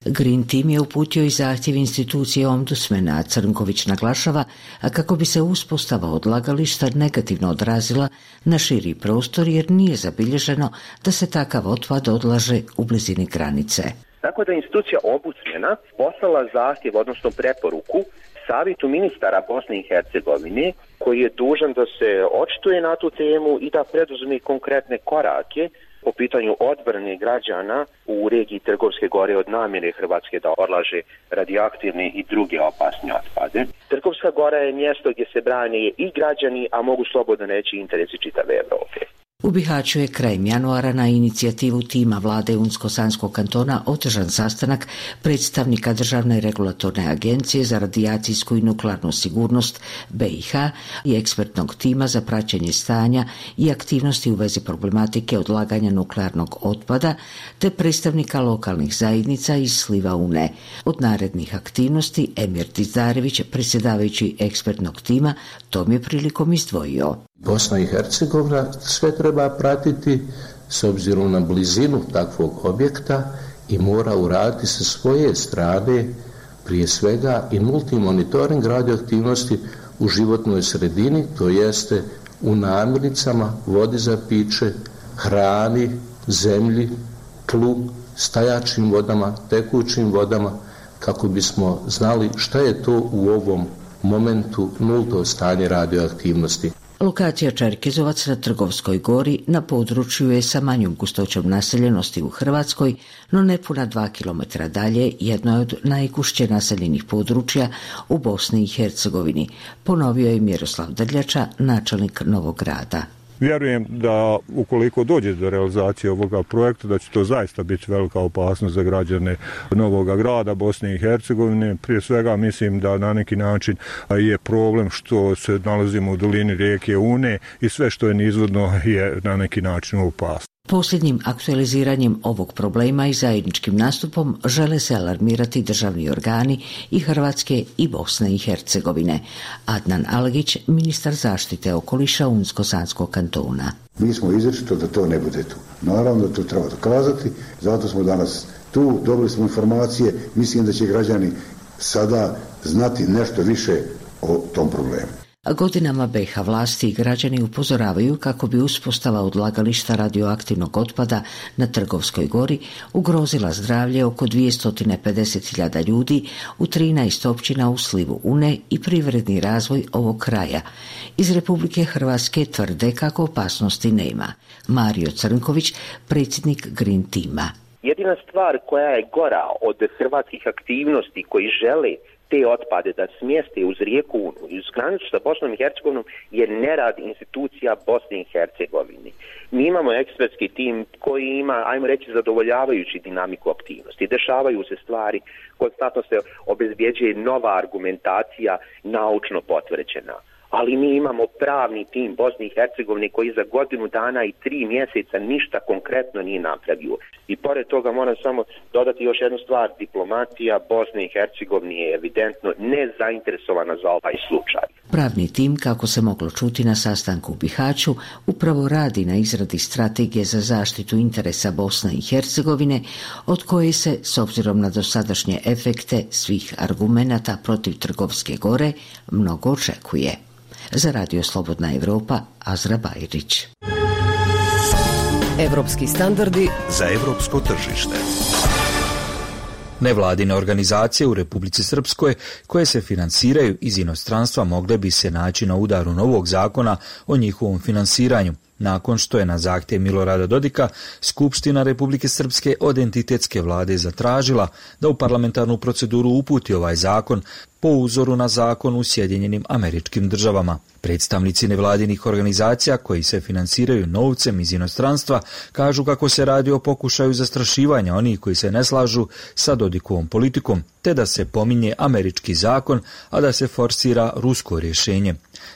Green Team je uputio i zahtjev institucije ombudsmana, a Crnković naglašava kako bi se uspostava odlagališta negativno odrazila na širi prostor jer nije zabilježeno da se takav otpad odlaže u blizini granice. Tako da institucija ombudsmana poslala zahtjev, odnosno preporuku, Savjetu ministara Bosne i Hercegovine, koji je dužan da se očituje na tu temu i da preduzme konkretne korake po pitanju odbrane građana u regiji Trgovske gore od namjere Hrvatske da odlaže radioaktivne i druge opasne otpade. Trgovska gora je mjesto gdje se brane i građani, a mogu slobodno reći interesi čitave Evrope. U Bihaću je krajem januara na inicijativu tima vlade Unsko-Sanskog kantona održan sastanak predstavnika Državne regulatorne agencije za radijacijsku i nuklearnu sigurnost BiH i ekspertnog tima za praćenje stanja i aktivnosti u vezi problematike odlaganja nuklearnog otpada te predstavnika lokalnih zajednica iz sliva Une. Od narednih aktivnosti Emir Dizdarević, predsjedavajući ekspertnog tima, tom je prilikom izdvojio. Bosna i Hercegovina sve treba pratiti s obzirom na blizinu takvog objekta i mora uraditi sa svoje strane prije svega i nulti monitoring radioaktivnosti u životnoj sredini, to jeste u namirnicama, vodi za piće, hrani, zemlji, tlu, stajačim vodama, tekućim vodama, kako bismo znali šta je to u ovom momentu nulto stanje radioaktivnosti. Lokacija Čerkezovac na Trgovskoj gori na području je sa manjom gustoćom naseljenosti u Hrvatskoj, no nepuna 2 km dalje jedno je od najgušće naseljenih područja u Bosni i Hercegovini, ponovio je Miroslav Drljača, načelnik Novog Grada. Vjerujem da ukoliko dođe do realizacije ovoga projekta, da će to zaista biti velika opasnost za građane Novoga Grada, Bosne i Hercegovine. Prije svega mislim da na neki način je problem što se nalazimo u dolini rijeke Une i sve što je nizvodno je na neki način opasno. Posljednjim aktualiziranjem ovog problema i zajedničkim nastupom žele se alarmirati državni organi i Hrvatske i Bosne i Hercegovine. Adnan Algić, ministar zaštite okoliša Unsko-Sanskog kantona. Mi smo izričito da to ne bude tu. Naravno da to treba dokazati, zato smo danas tu, dobili smo informacije, mislim da će građani sada znati nešto više o tom problemu. Godinama BiH vlasti i građani upozoravaju kako bi uspostava odlagališta radioaktivnog otpada na Trgovskoj gori ugrozila zdravlje oko 250.000 ljudi u 13 općina u slivu Une i privredni razvoj ovog kraja. Iz Republike Hrvatske tvrde kako opasnosti nema. Mario Crnković, predsjednik Green Teama. Jedina stvar koja je gora od hrvatskih aktivnosti koji žele te otpade da smjeste uz rijeku Unu i uz granicu sa Bosnom i Hercegovinom je nerad institucija Bosne i Hercegovine. Mi imamo ekspertski tim koji ima, ajmo reći, zadovoljavajući dinamiku aktivnosti. Dešavaju se stvari, konstantno se obezbjeđuje nova argumentacija naučno potvrđena. Ali mi imamo pravni tim Bosne i Hercegovine koji za godinu dana i 3 mjeseca ništa konkretno nije napravio. I pored toga moram samo dodati još jednu stvar. Diplomatija Bosne i Hercegovine je evidentno nezainteresovana za ovaj slučaj. Pravni tim, kako se moglo čuti na sastanku u Bihaću, upravo radi na izradi strategije za zaštitu interesa Bosne i Hercegovine, od koje se, s obzirom na dosadašnje efekte svih argumenata protiv Trgovske gore, mnogo očekuje. Za Radio Slobodna Evropa, Azra Bajrić. Evropski standardi za evropsko tržište. Nevladine organizacije u Republici Srpskoj koje se finansiraju iz inostranstva mogle bi se naći na udaru novog zakona o njihovom finansiranju, nakon što je na zahtjev Milorada Dodika Skupština Republike Srpske od entitetske vlade zatražila da u parlamentarnu proceduru uputi ovaj zakon po uzoru na zakon u Sjedinjenim Američkim Državama. Predstavnici nevladinih organizacija koji se finansiraju novcem iz inostranstva kažu kako se radi o pokušaju zastrašivanja onih koji se ne slažu sa Dodikovom politikom, te da se pominje američki zakon, a da se forsira rusko rješenje.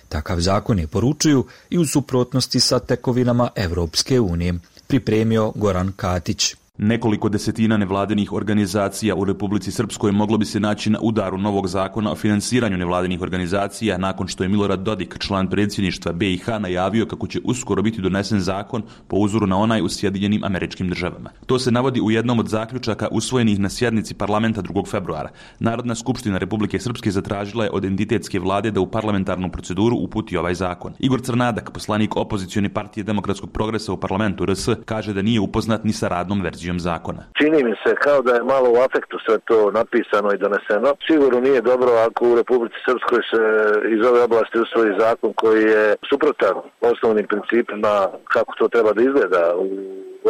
Takav zakon je, poručuju, i u suprotnosti sa tekovinama Evropske unije. Pripremio Goran Katić. Nekoliko desetina nevladinih organizacija u Republici Srpskoj moglo bi se naći na udaru novog zakona o finansiranju nevladinih organizacija nakon što je Milorad Dodik, član predsjedništva BiH, najavio kako će uskoro biti donesen zakon po uzoru na onaj u Sjedinjenim Američkim Državama. To se navodi u jednom od zaključaka usvojenih na sjednici parlamenta 2. februara. Narodna skupština Republike Srpske zatražila je od entitetske vlade da u parlamentarnu proceduru uputi ovaj zakon. Igor Crnadak, poslanik opozicione partije Demokratskog progresa u parlamentu RS, kaže da nije upoznat ni sa radnom verzijom zakona. Čini mi se kao da je malo u afektu sve to napisano i doneseno. Sigurno nije dobro ako u Republici Srpskoj se iz ove oblasti usvoji zakon koji je suprotan osnovnim principima kako to treba da izgleda u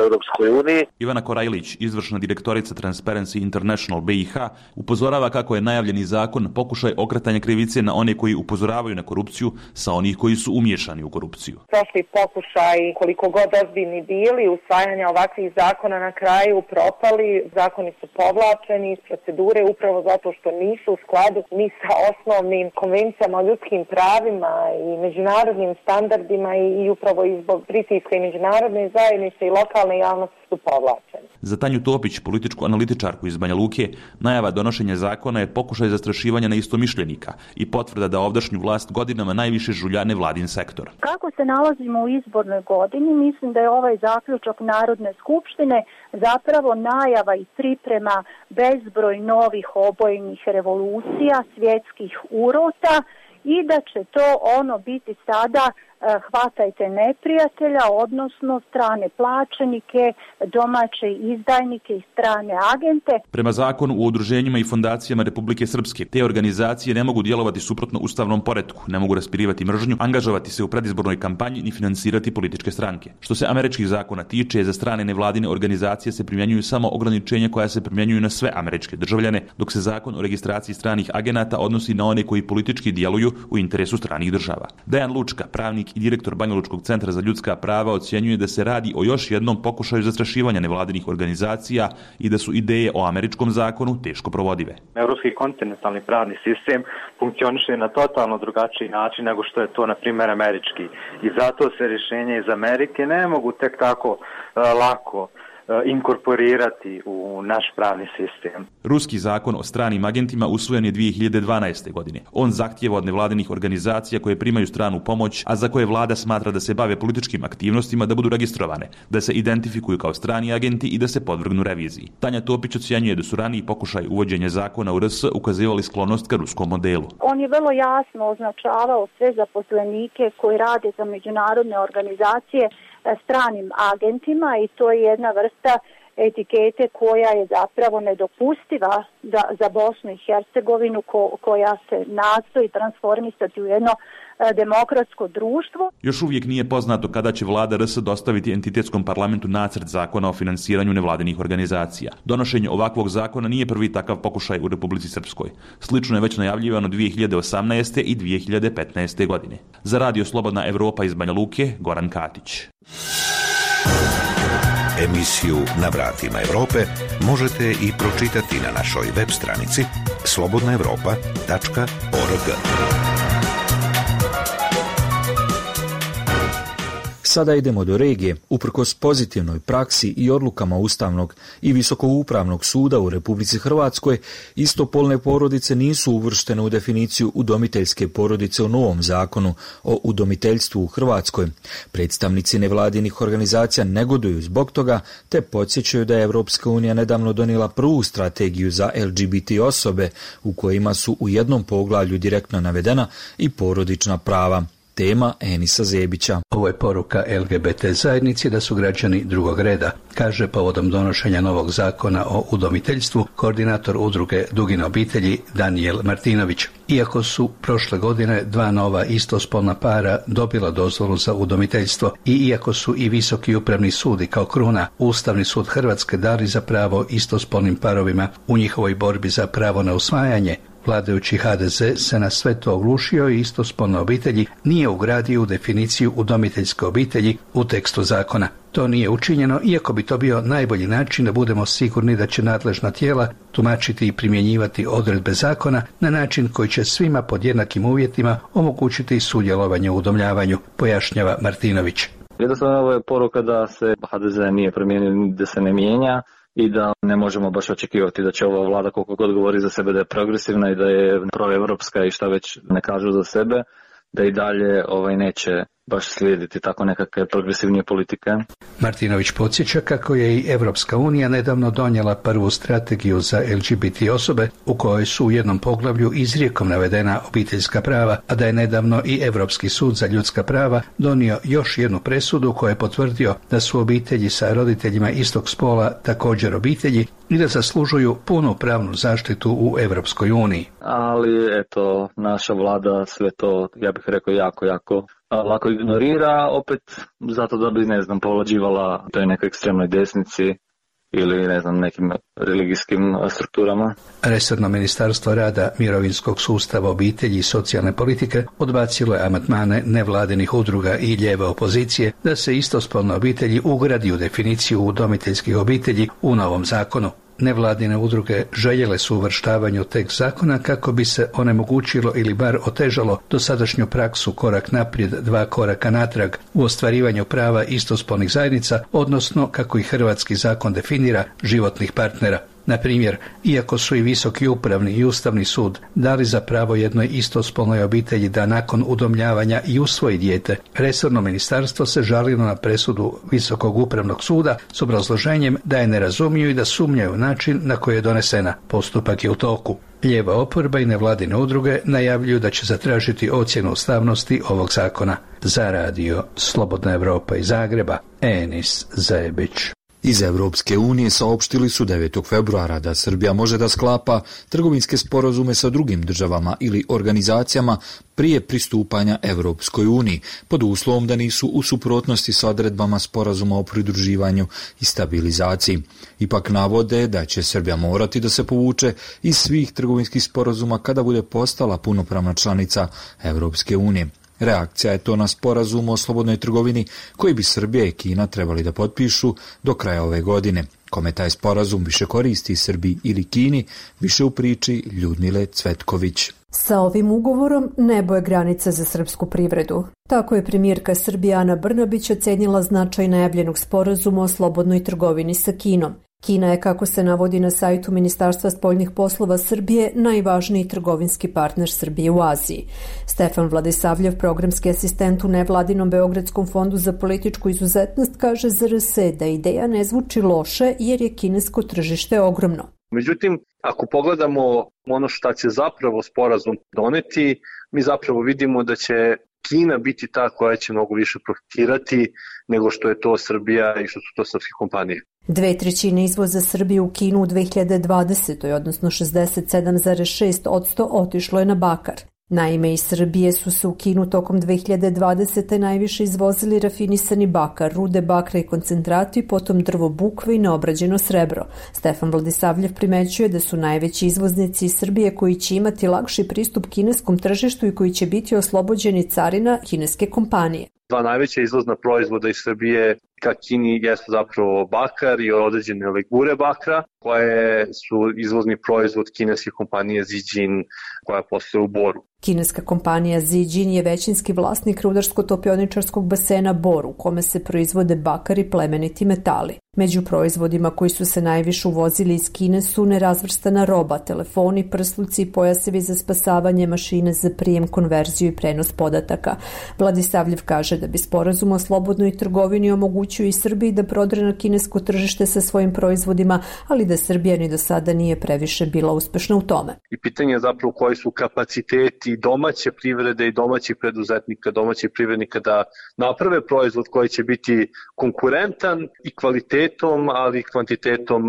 Europskoj uniji. Ivana Korajlić, izvršna direktorica Transparency International BiH, upozorava kako je najavljeni zakon pokušaj okretanja krivice na one koji upozoravaju na korupciju sa onih koji su umiješani u korupciju. Prošli pokušaj, koliko god ozbiljni bili, usvajanja ovakvih zakona na kraju propali, zakoni su povlačeni iz procedure upravo zato što nisu u skladu ni sa osnovnim konvencijama o ljudskim pravima i međunarodnim standardima i upravo i zbog pritiska i međunarodne zajednice i lokalne javnosti su povlačeni. Za Tanju Topić, političku analitičarku iz Banja Luke, najava donošenja zakona je pokušaj zastrašivanja neistomišljenika i potvrda da ovdašnju vlast godinama najviše žulja nevladin sektor. Kako se nalazimo u izbornoj godini, mislim da je ovaj zaključak Narodne skupštine zapravo najava i priprema bezbroj novih obojnih revolucija, svjetskih urota i da će to biti sada hvatajte neprijatelja, odnosno strane plaćenike, domaće izdajnike i strane agente. Prema zakonu o udruženjima i fondacijama Republike Srpske, te organizacije ne mogu djelovati suprotno ustavnom poretku, ne mogu raspirivati mržnju, angažovati se u predizbornoj kampanji ni finansirati političke stranke. Što se američkih zakona tiče, za strane nevladine organizacije se primjenjuju samo ograničenja koja se primjenjuju na sve američke državljane, dok se zakon o registraciji stranih agenata odnosi na one koji politički djeluju u interesu stranih država. Dejan Lučka, pravnik i direktor Banjalučkog centra za ljudska prava, ocjenjuje da se radi o još jednom pokušaju zastrašivanja nevladinih organizacija i da su ideje o američkom zakonu teško provodive. Evropski kontinentalni pravni sistem funkcioniše na totalno drugačiji način nego što je to, na primjer, američki. I zato se rješenja iz Amerike ne mogu tek tako lako inkorporirati u naš pravni sistem. Ruski zakon o stranim agentima usvojen je 2012. godine. On zahtijeva od nevladinih organizacija koje primaju stranu pomoć, a za koje vlada smatra da se bave političkim aktivnostima, da budu registrovane, da se identifikuju kao strani agenti i da se podvrgnu reviziji. Tanja Topić ocjenjuje da su raniji pokušaj uvođenja zakona u RS ukazivali sklonost ka ruskom modelu. On je vrlo jasno označavao sve zaposlenike koji rade za međunarodne organizacije stranim agentima i to je jedna vrsta etikete koja je zapravo nedopustiva za Bosnu i Hercegovinu koja se nastoji transformisati u jedno demokratsko društvo. Još uvijek nije poznato kada će vlada RS dostaviti entitetskom parlamentu nacrt zakona o finansiranju nevladinih organizacija. Donošenje ovakvog zakona nije prvi takav pokušaj u Republici Srpskoj. Slično je već najavljivano 2018. i 2015. godine. Za Radio Slobodna Evropa iz Banja Luke, Goran Katić. Emisiju Na vratima Evrope možete i pročitati na našoj web stranici slobodnaevropa.org. Sada idemo do regije. Uprkos pozitivnoj praksi i odlukama Ustavnog i Visokoupravnog suda u Republici Hrvatskoj, istopolne porodice nisu uvrštene u definiciju udomiteljske porodice u novom zakonu o udomiteljstvu u Hrvatskoj. Predstavnici nevladinih organizacija negoduju zbog toga, te podsjećaju da je Evropska unija nedavno donijela prvu strategiju za LGBT osobe u kojima su u jednom poglavlju direktno navedena i porodična prava. Tema Enisa Zebića. Ovo je poruka LGBT zajednici da su građani drugog reda, kaže povodom donošenja novog zakona o udomiteljstvu koordinator udruge Dugine obitelji Danijel Martinović. Iako su prošle godine dva nova istospolna para dobila dozvolu za udomiteljstvo i iako su i Visoki upravni sud i kao kruna Ustavni sud Hrvatske dali za pravo istospolnim parovima u njihovoj borbi za pravo na usvajanje, vladajući HDZ se na sve to oglušio i istospolne obitelji nije ugradio u definiciju udomiteljske obitelji u tekstu zakona. To nije učinjeno, iako bi to bio najbolji način da budemo sigurni da će nadležna tijela tumačiti i primjenjivati odredbe zakona na način koji će svima pod jednakim uvjetima omogućiti sudjelovanje u udomljavanju, pojašnjava Martinović. Jednostavno ovo je poruka da se HDZ nije promijenio, da se ne mijenja i da ne možemo baš očekivati da će ova vlada koliko god govori za sebe da je progresivna i da je proevropska i šta već ne kažu za sebe, da i dalje neće baš slijediti tako nekakve progresivnije politike. Martinović podsjeća kako je i Evropska unija nedavno donijela prvu strategiju za LGBT osobe u kojoj su u jednom poglavlju izrijekom navedena obiteljska prava, a da je nedavno i Europski sud za ljudska prava donio još jednu presudu koja je potvrdio da su obitelji sa roditeljima istog spola također obitelji i da zaslužuju punu pravnu zaštitu u Evropskoj uniji. Ali eto, naša vlada sve to, ja bih rekao, jako lako ignorira, opet zato da bi, povlađivala toj nekoj ekstremnoj desnici ili, nekim religijskim strukturama. Resorno ministarstvo rada, mirovinskog sustava, obitelji i socijalne politike odbacilo je amandmane nevladinih udruga i lijeve opozicije da se istospolne obitelji ugradi u definiciju udomiteljskih obitelji u novom zakonu. Nevladine udruge željele su uvrštavanje u tekst zakona kako bi se onemogućilo ili bar otežalo dosadašnju praksu korak naprijed, dva koraka natrag u ostvarivanju prava istospolnih zajednica, odnosno, kako i hrvatski zakon definira, životnih partnera. Na primjer, iako su i Visoki upravni i Ustavni sud dali za pravo jednoj istospolnoj obitelji da nakon udomljavanja i usvoji dijete, resorno ministarstvo se žalilo na presudu Visokog upravnog suda s obrazloženjem da je ne razumiju i da sumnjaju način na koji je donesena. Postupak je u toku. Lijeva oporba i nevladine udruge najavljuju da će zatražiti ocjenu ustavnosti ovog zakona. Za radio Slobodna Evropa iz Zagreba, Enis Zajebić. Iz Evropske unije saopštili su 9. februara da Srbija može da sklapa trgovinske sporazume sa drugim državama ili organizacijama prije pristupanja Evropskoj uniji, pod uslovom da nisu u suprotnosti sa odredbama sporazuma o pridruživanju i stabilizaciji. Ipak navode da će Srbija morati da se povuče iz svih trgovinskih sporazuma kada bude postala punopravna članica Evropske unije. Reakcija je to na sporazum o slobodnoj trgovini koji bi Srbija i Kina trebali da potpišu do kraja ove godine. Kome taj sporazum više koristi Srbiji ili Kini, više u priči Ljudmile Cvetković. Sa ovim ugovorom nebo je granica za srpsku privredu. Tako je premijerka Srbije Ana Brnabić ocenila značaj najavljenog sporazuma o slobodnoj trgovini sa Kinom. Kina je, kako se navodi na sajtu Ministarstva spoljnih poslova Srbije, najvažniji trgovinski partner Srbije u Aziji. Stefan Vladisavljev, programski asistent u nevladinom Beogradskom fondu za političku izuzetnost, kaže za RS da ideja ne zvuči loše jer je kinesko tržište ogromno. Međutim, ako pogledamo ono šta će zapravo sporazum doneti, mi zapravo vidimo da će Kina biti ta koja će mnogo više profitirati nego što je to Srbija i što su to srpske kompanije. 2/3 izvoza Srbije u Kinu u 2020. odnosno 67,6% otišlo je na bakar. Naime, iz Srbije su se u Kinu tokom 2020. najviše izvozili rafinisani bakar, rude bakra i koncentrati, potom drvo bukve i neobrađeno srebro. Stefan Vladisavljev primećuje da su najveći izvoznici iz Srbije koji će imati lakši pristup kineskom tržištu i koji će biti oslobođeni carina kineske kompanije. Dva najveća izvozna proizvoda iz Srbije ka Kini jesu zapravo bakar i određene legure bakra, koje su izvozni proizvod kineske kompanije Zijin koja posluje u Boru. Kineska kompanija Zijin je većinski vlasnik rudarsko-topioničarskog basena Bor, u kome se proizvode bakar i plemeniti metali. Među proizvodima koji su se najviše uvozili iz Kine su nerazvrstana roba, telefoni, prsluci i pojasevi za spasavanje, mašine za prijem, konverziju i prenos podataka. Vladisavljev kaže da bi sporazum o slobodnoj trgovini omogućio i Srbiji da prodre na kinesko tržište sa svojim proizvodima, ali da Srbija ni do sada nije previše bila uspešna u tome. I pitanje je zapravo koji su kapaciteti domaće privrede i domaćih preduzetnika, domaćih privrednika da naprave proizvod koji će biti konkurentan i kvalitetom, ali i kvantitetom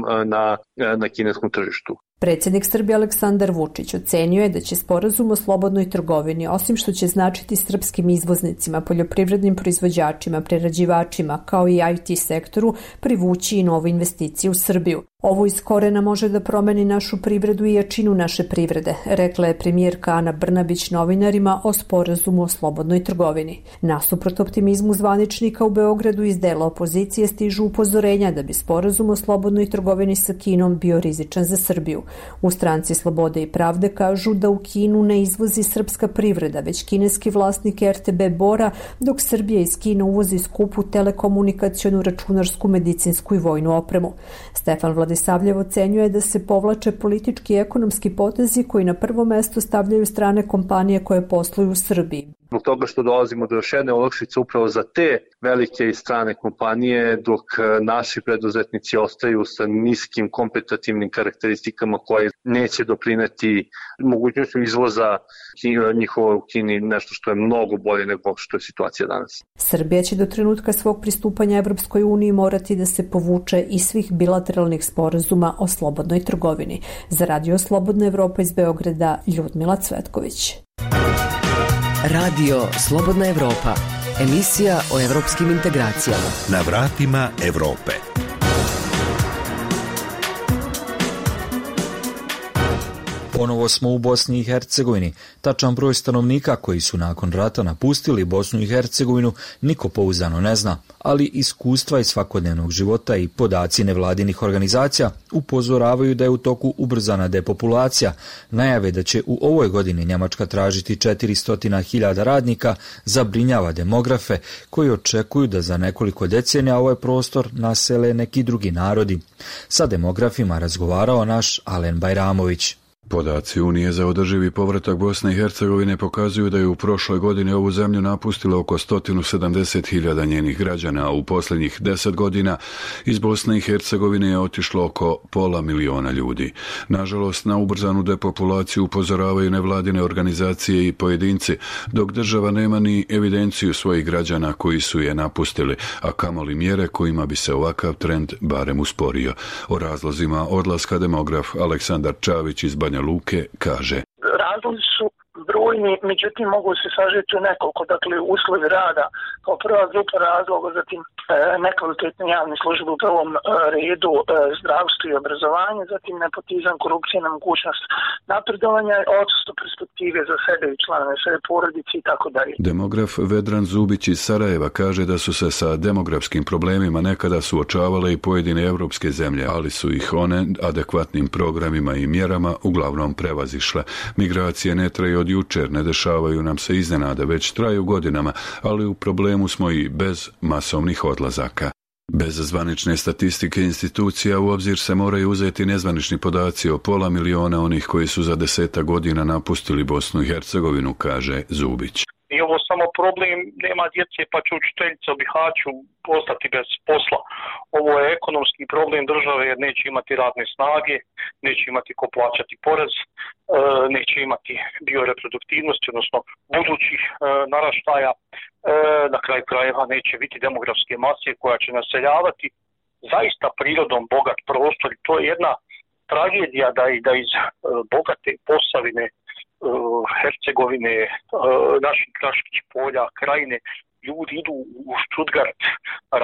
na kineskom tržištu. Predsjednik Srbije Aleksandar Vučić ocenio je da će sporazum o slobodnoj trgovini, osim što će značiti srpskim izvoznicima, poljoprivrednim proizvođačima, prerađivačima, kao i IT sektoru, privući i nove investicije u Srbiju. Ovo iz korena može da promeni našu privredu i jačinu naše privrede, rekla je premijerka Ana Brnabić novinarima o sporazumu o slobodnoj trgovini. Nasuprot optimizmu zvaničnika u Beogradu iz dela opozicije stižu upozorenja da bi sporazum o slobodnoj trgovini sa Kinom bio rizičan za Srbiju. U Stranci Slobode i pravde kažu da u Kinu ne izvozi srpska privreda, već kineski vlasnik RTB Bora, dok Srbija iz Kine uvozi skupu telekomunikacionu, računarsku, medicinsku i vojnu opremu. Stefan Vladisavljev ocenjuje da se povlače politički i ekonomski potezi koji na prvo mesto stavljaju strane kompanije koje posluju u Srbiji. Zbog toga što dolazimo do još jedne olakšice upravo za te velike i strane kompanije, dok naši preduzetnici ostaju sa niskim kompetitivnim karakteristikama koje neće doprineti mogućnošću izvoza njihova u Kini, nešto što je mnogo bolje nego što je situacija danas. Srbija će do trenutka svog pristupanja Evropskoj uniji morati da se povuče iz svih bilateralnih sporazuma o slobodnoj trgovini. Za Radio Slobodna Evropa iz Beograda, Ljudmila Cvetković. Radio Slobodna Evropa, emisija o evropskim integracijama. Na vratima Evrope. Ponovo smo u Bosni i Hercegovini. Tačan broj stanovnika koji su nakon rata napustili Bosnu i Hercegovinu niko pouzdano ne zna, ali iskustva iz svakodnevnog života i podaci nevladinih organizacija upozoravaju da je u toku ubrzana depopulacija. Najave da će u ovoj godini Njemačka tražiti 400.000 radnika zabrinjava demografe koji očekuju da za nekoliko decenija ovaj prostor nasele neki drugi narodi. Sa demografima razgovarao naš Alen Bajramović. Podaci Unije za održivi povratak Bosne i Hercegovine pokazuju da je u prošloj godini ovu zemlju napustilo oko 170.000 njenih građana, a u posljednjih 10 godina iz Bosne i Hercegovine je otišlo oko 500.000 ljudi. Nažalost, na ubrzanu depopulaciju upozoravaju nevladine organizacije i pojedinci, dok država nema ni evidenciju svojih građana koji su je napustili, a kamoli mjere kojima bi se ovakav trend barem usporio. O razlozima odlaska demograf Aleksandar Čavić iz Banja Luke kaže: Razlozi su brojni, međutim mogu se sažeti u nekoliko, dakle uslovi rada kao prva grupa razloga, zatim nekvalitetne javne službe u prvom redu, zdravstvo i obrazovanje, zatim nepotizam, korupcija, nemogućnost napredovanja, odsustvo perspektive za sebe i članove svoje porodice i tako dalje. Demograf Vedran Zubić iz Sarajeva kaže da su se sa demografskim problemima nekada suočavale i pojedine evropske zemlje, ali su ih one adekvatnim programima i mjerama uglavnom prevazišle. Migracije ne traju od jučer, ne dešavaju nam se iznenada, već traju godinama, ali u problemu smo i bez masovnih odlazaka. Bez zvanične statistike institucija u obzir se moraju uzeti nezvanični podaci o 500.000 onih koji su za 10 godina napustili Bosnu i Hercegovinu, kaže Zubić. I ovo samo problem, nema djece pa će učiteljica u Bihaću ostati bez posla. Ovo je ekonomski problem države jer neće imati radne snage, neće imati ko plaćati porez, neće imati bioreproduktivnosti, odnosno budućih naraštaja. Na kraju krajeva neće biti demografske mase koja će naseljavati zaista prirodom bogat prostor. I to je jedna tragedija da iz bogate Posavine, Hercegovine, naših Kraških polja, Krajine, ljudi idu u Stuttgart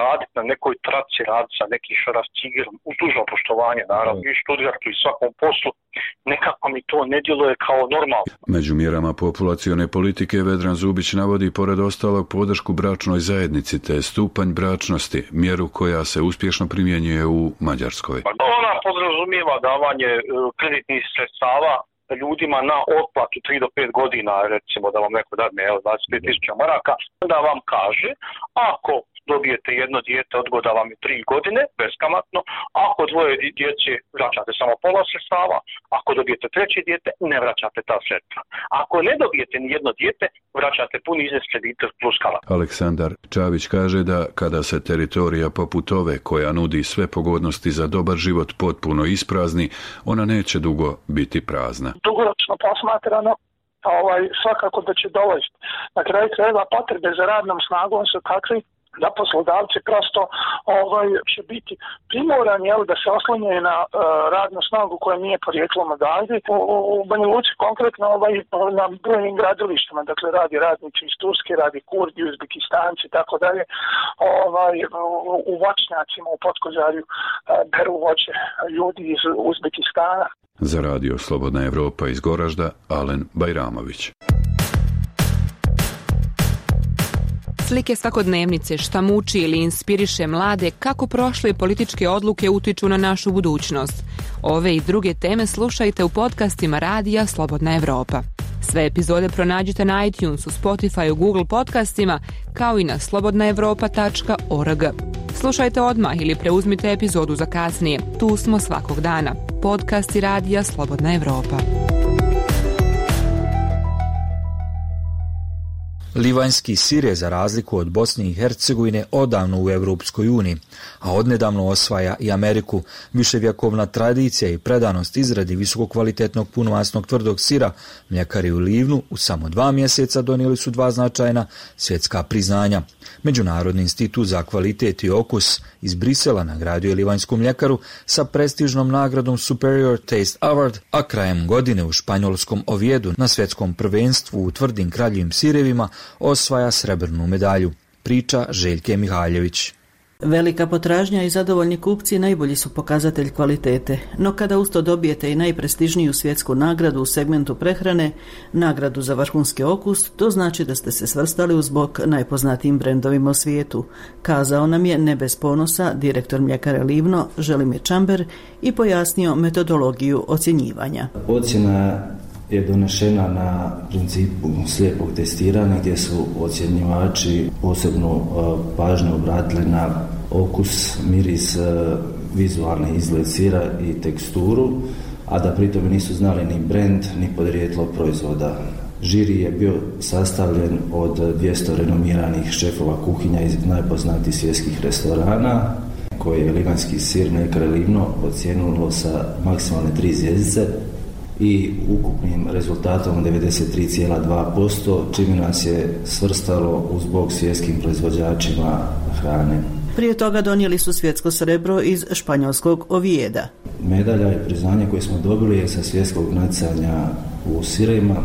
raditi na nekoj traci, raditi sa nekim šarafcigerom, uz dužno poštovanje, naravno, i Stuttgartu i svakom poslu, nekako mi to ne djeluje kao normalno. Među mjerama populacione politike Vedran Zubić navodi pored ostalog podršku bračnoj zajednici te stupanj bračnosti, mjeru koja se uspješno primjenjuje u Mađarskoj. Ona podrazumijeva davanje kreditnih sredstava ljudima na otplatu 3 do 5 godina, recimo da vam neko dadne 25.000 maraka, da vam kaže, ako dobijete jedno dijete, odgoda vam je 3 godine, beskamatno, ako dvoje djece vraćate samo pola sredstava, ako dobijete treće dijete, ne vraćate ta sredstva. Ako ne dobijete ni jedno dijete, vraćate puni iznos kredita plus kamata. Aleksandar Čavić kaže da kada se teritorija poput ove, koja nudi sve pogodnosti za dobar život, potpuno isprazni, ona neće dugo biti prazna. Dugoročno posmatrano, svakako da će dovesti. Na kraju krajeva potrebe za radnom snagom su takvi da poslodavci prosto će biti primorani da se oslanjaju na radnu snagu koja nije porijeklom odavde. U Banja Luci konkretno na brojnim gradilištima, dakle radi radnici iz Turske, radi Kurdi, Uzbekistanci i tako dalje. U voćnjacima u Potkozarju beru voće ljudi iz Uzbekistana. Za Radio Slobodna Evropa iz Goražda, Alen Bajramović. Slike svakodnevnice, šta muči ili inspiriše mlade, kako prošle političke odluke utiču na našu budućnost. Ove i druge teme slušajte u podcastima Radija Slobodna Evropa. Sve epizode pronađite na iTunesu, Spotifyu, Google podcastima, kao i na slobodnaevropa.org. Slušajte odmah ili preuzmite epizodu za kasnije. Tu smo svakog dana. Podcasti Radija Slobodna Evropa. Livanjski sir je za razliku od Bosne i Hercegovine odavno u Europskoj uniji, a odnedavno osvaja i Ameriku. Viševjekovna tradicija i predanost izradi visokokvalitetnog punomasnog tvrdog sira mljekari u Livnu u samo 2 mjeseca donijeli su 2 značajna svjetska priznanja. Međunarodni institut za kvalitet i okus iz Brisela nagradio je livanjsku mljekaru sa prestižnom nagradom Superior Taste Award, a krajem godine u španjolskom Oviedu na svjetskom prvenstvu u tvrdim kraljevim sirevima osvaja srebrnu medalju. Priča Željke Mihaljević. Velika potražnja i zadovoljni kupci najbolji su pokazatelj kvalitete, no kada usto dobijete i najprestižniju svjetsku nagradu u segmentu prehrane, nagradu za vrhunski okus, to znači da ste se svrstali uz bok najpoznatijim brendovima u svijetu, kazao nam je ne bez ponosa direktor mljekare Livno Želimir Čamber i pojasnio metodologiju ocjenjivanja. Ocjena je donešena na principu slijepog testiranja gdje su ocjenjivači posebno pažnju obratili na okus, miris, vizualni izgled sira i teksturu, a da pritom nisu znali ni brend ni podrijetlo proizvoda. Žiri je bio sastavljen od 200 renomiranih šefova kuhinja iz najpoznatijih svjetskih restorana, koje je livanjski sir mljekare Livno ocijenilo sa maksimalne 3 zvjezdice i ukupnim rezultatom 93,2%, čime nas je svrstalo uz bok svjetskim proizvođačima hrane. Prije toga donijeli su svjetsko srebro iz španjolskog Ovieda. Medalja i priznanje koje smo dobili je sa svjetskog natjecanja u sirevima,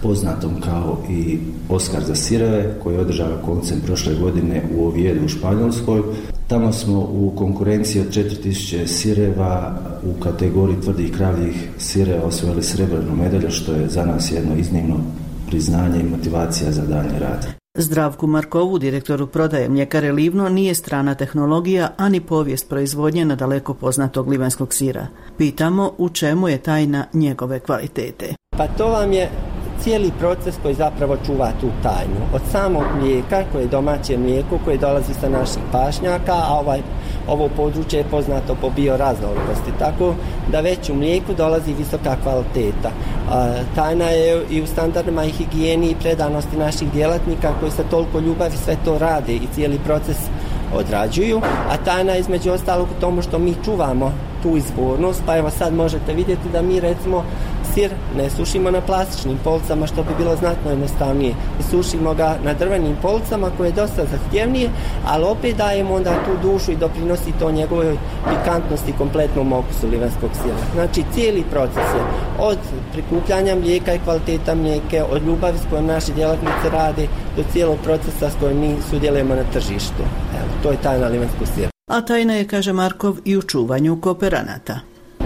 poznatom kao i Oskar za sireve, koji je održao koncem prošle godine u Oviedu u Španjolskoj. Tamo smo u konkurenciji od 4000 sireva u kategoriji tvrdih kravljih sireva osvojili srebrnu medalju, što je za nas jedno iznimno priznanje i motivacija za daljnji rad. Zdravku Markovu, direktoru prodaje mljekare Livno, nije strana tehnologija, ani povijest proizvodnje nadaleko poznatog livanjskog sira. Pitamo u čemu je tajna njegove kvalitete. Pa to vam je cijeli proces koji zapravo čuva tu tajnu. Od samog mlijeka, koje je domaće mlijeko, koje dolazi sa naših pašnjaka, a ovo područje je poznato po bioraznolikosti, tako da već u mlijeku dolazi visoka kvaliteta. Tajna je i u standardima i higijeni i predanosti naših djelatnika koji sa toliko ljubavi sve to rade i cijeli proces odrađuju, a tajna je između ostalog u tomu što mi čuvamo tu izvornost, pa evo sad možete vidjeti da mi recimo sir ne sušimo na plastičnim policama, što bi bilo znatno jednostavnije. Sušimo ga na drvenim policama koje je dosta zahtjevnije, ali opet dajemo onda tu dušu i doprinosi to njegovoj pikantnosti kompletnom okusu livanjskog sira. Znači cijeli proces je od prikupljanja mlijeka i kvaliteta mlijeke, od ljubavi s kojom naši djelatnici rade, do cijelog procesa s kojim mi sudjelujemo na tržištu. Evo, to je tajna livanjskog sira. A tajna je, kaže Markov, i u čuvanju kooperanata.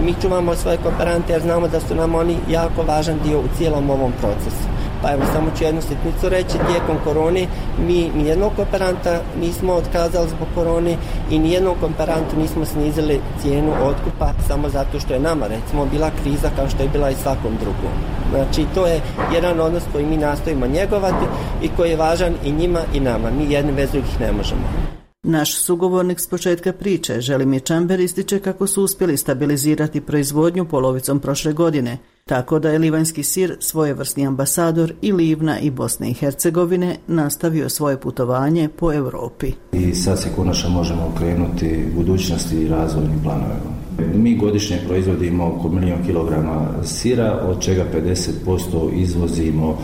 Mi čuvamo svoje kooperante jer znamo da su nam oni jako važan dio u cijelom ovom procesu. Pa evo, samo ću jednu sitnicu reći, tijekom korone mi nijednog kooperanta nismo otkazali zbog korone i nijednog kooperantu nismo snizili cijenu otkupa samo zato što je nama, recimo, bila kriza kao što je bila i svakom drugom. Znači, to je jedan odnos koji mi nastojimo njegovati i koji je važan i njima i nama. Mi jedni bez drugih ne možemo. Naš sugovornik s početka priče, Želimir Čamber, ističe kako su uspjeli stabilizirati proizvodnju polovicom prošle godine, tako da je livanjski sir svojevrsni ambasador i Livna i Bosne i Hercegovine nastavio svoje putovanje po Europi. I sad se konačno možemo okrenuti budućnosti i razvojnim planovima. Mi godišnje proizvodimo oko 1 000 000 kilograma sira, od čega 50% izvozimo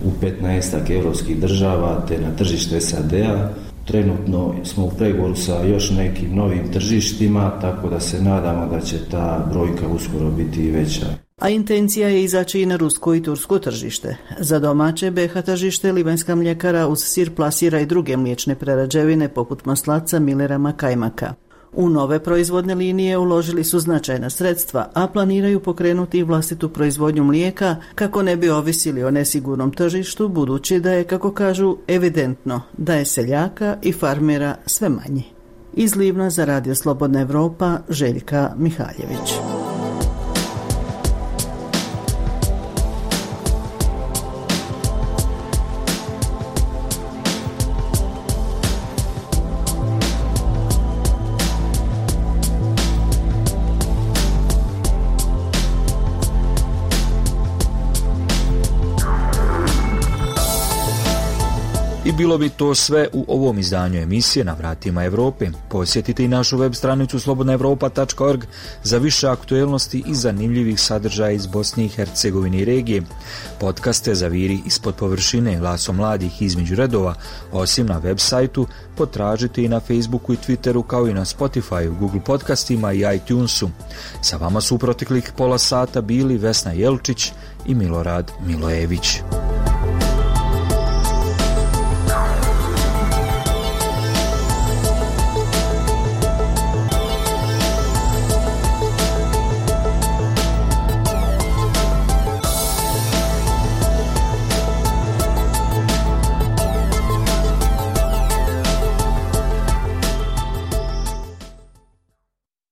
u 15 europskih država te na tržište SAD-a. Trenutno smo u pregovoru sa još nekim novim tržištima, tako da se nadamo da će ta brojka uskoro biti i veća. A intencija je izaći i na rusko i tursko tržište. Za domaće BiH tržište livanjska mljekara uz sir plasira i druge mliječne prerađevine poput maslaca, milera, kajmaka. U nove proizvodne linije uložili su značajna sredstva, a planiraju pokrenuti i vlastitu proizvodnju mlijeka kako ne bi ovisili o nesigurnom tržištu, budući da je, kako kažu, evidentno da je seljaka i farmera sve manje. Iz Livna za Radio Slobodna Evropa, Željka Mihaljević. I bilo bi to sve u ovom izdanju emisije Na vratima Evrope. Posjetite i našu web stranicu slobodnaevropa.org za više aktuelnosti i zanimljivih sadržaja iz Bosne i Hercegovine i regije. Podcaste Zaviri ispod površine, Glasom mladih između redova, osim na web sajtu, potražite i na Facebooku i Twitteru, kao i na Spotifyu, Google podcastima i iTunesu. Sa vama su u proteklih pola sata bili Vesna Jelčić i Milorad Milojević.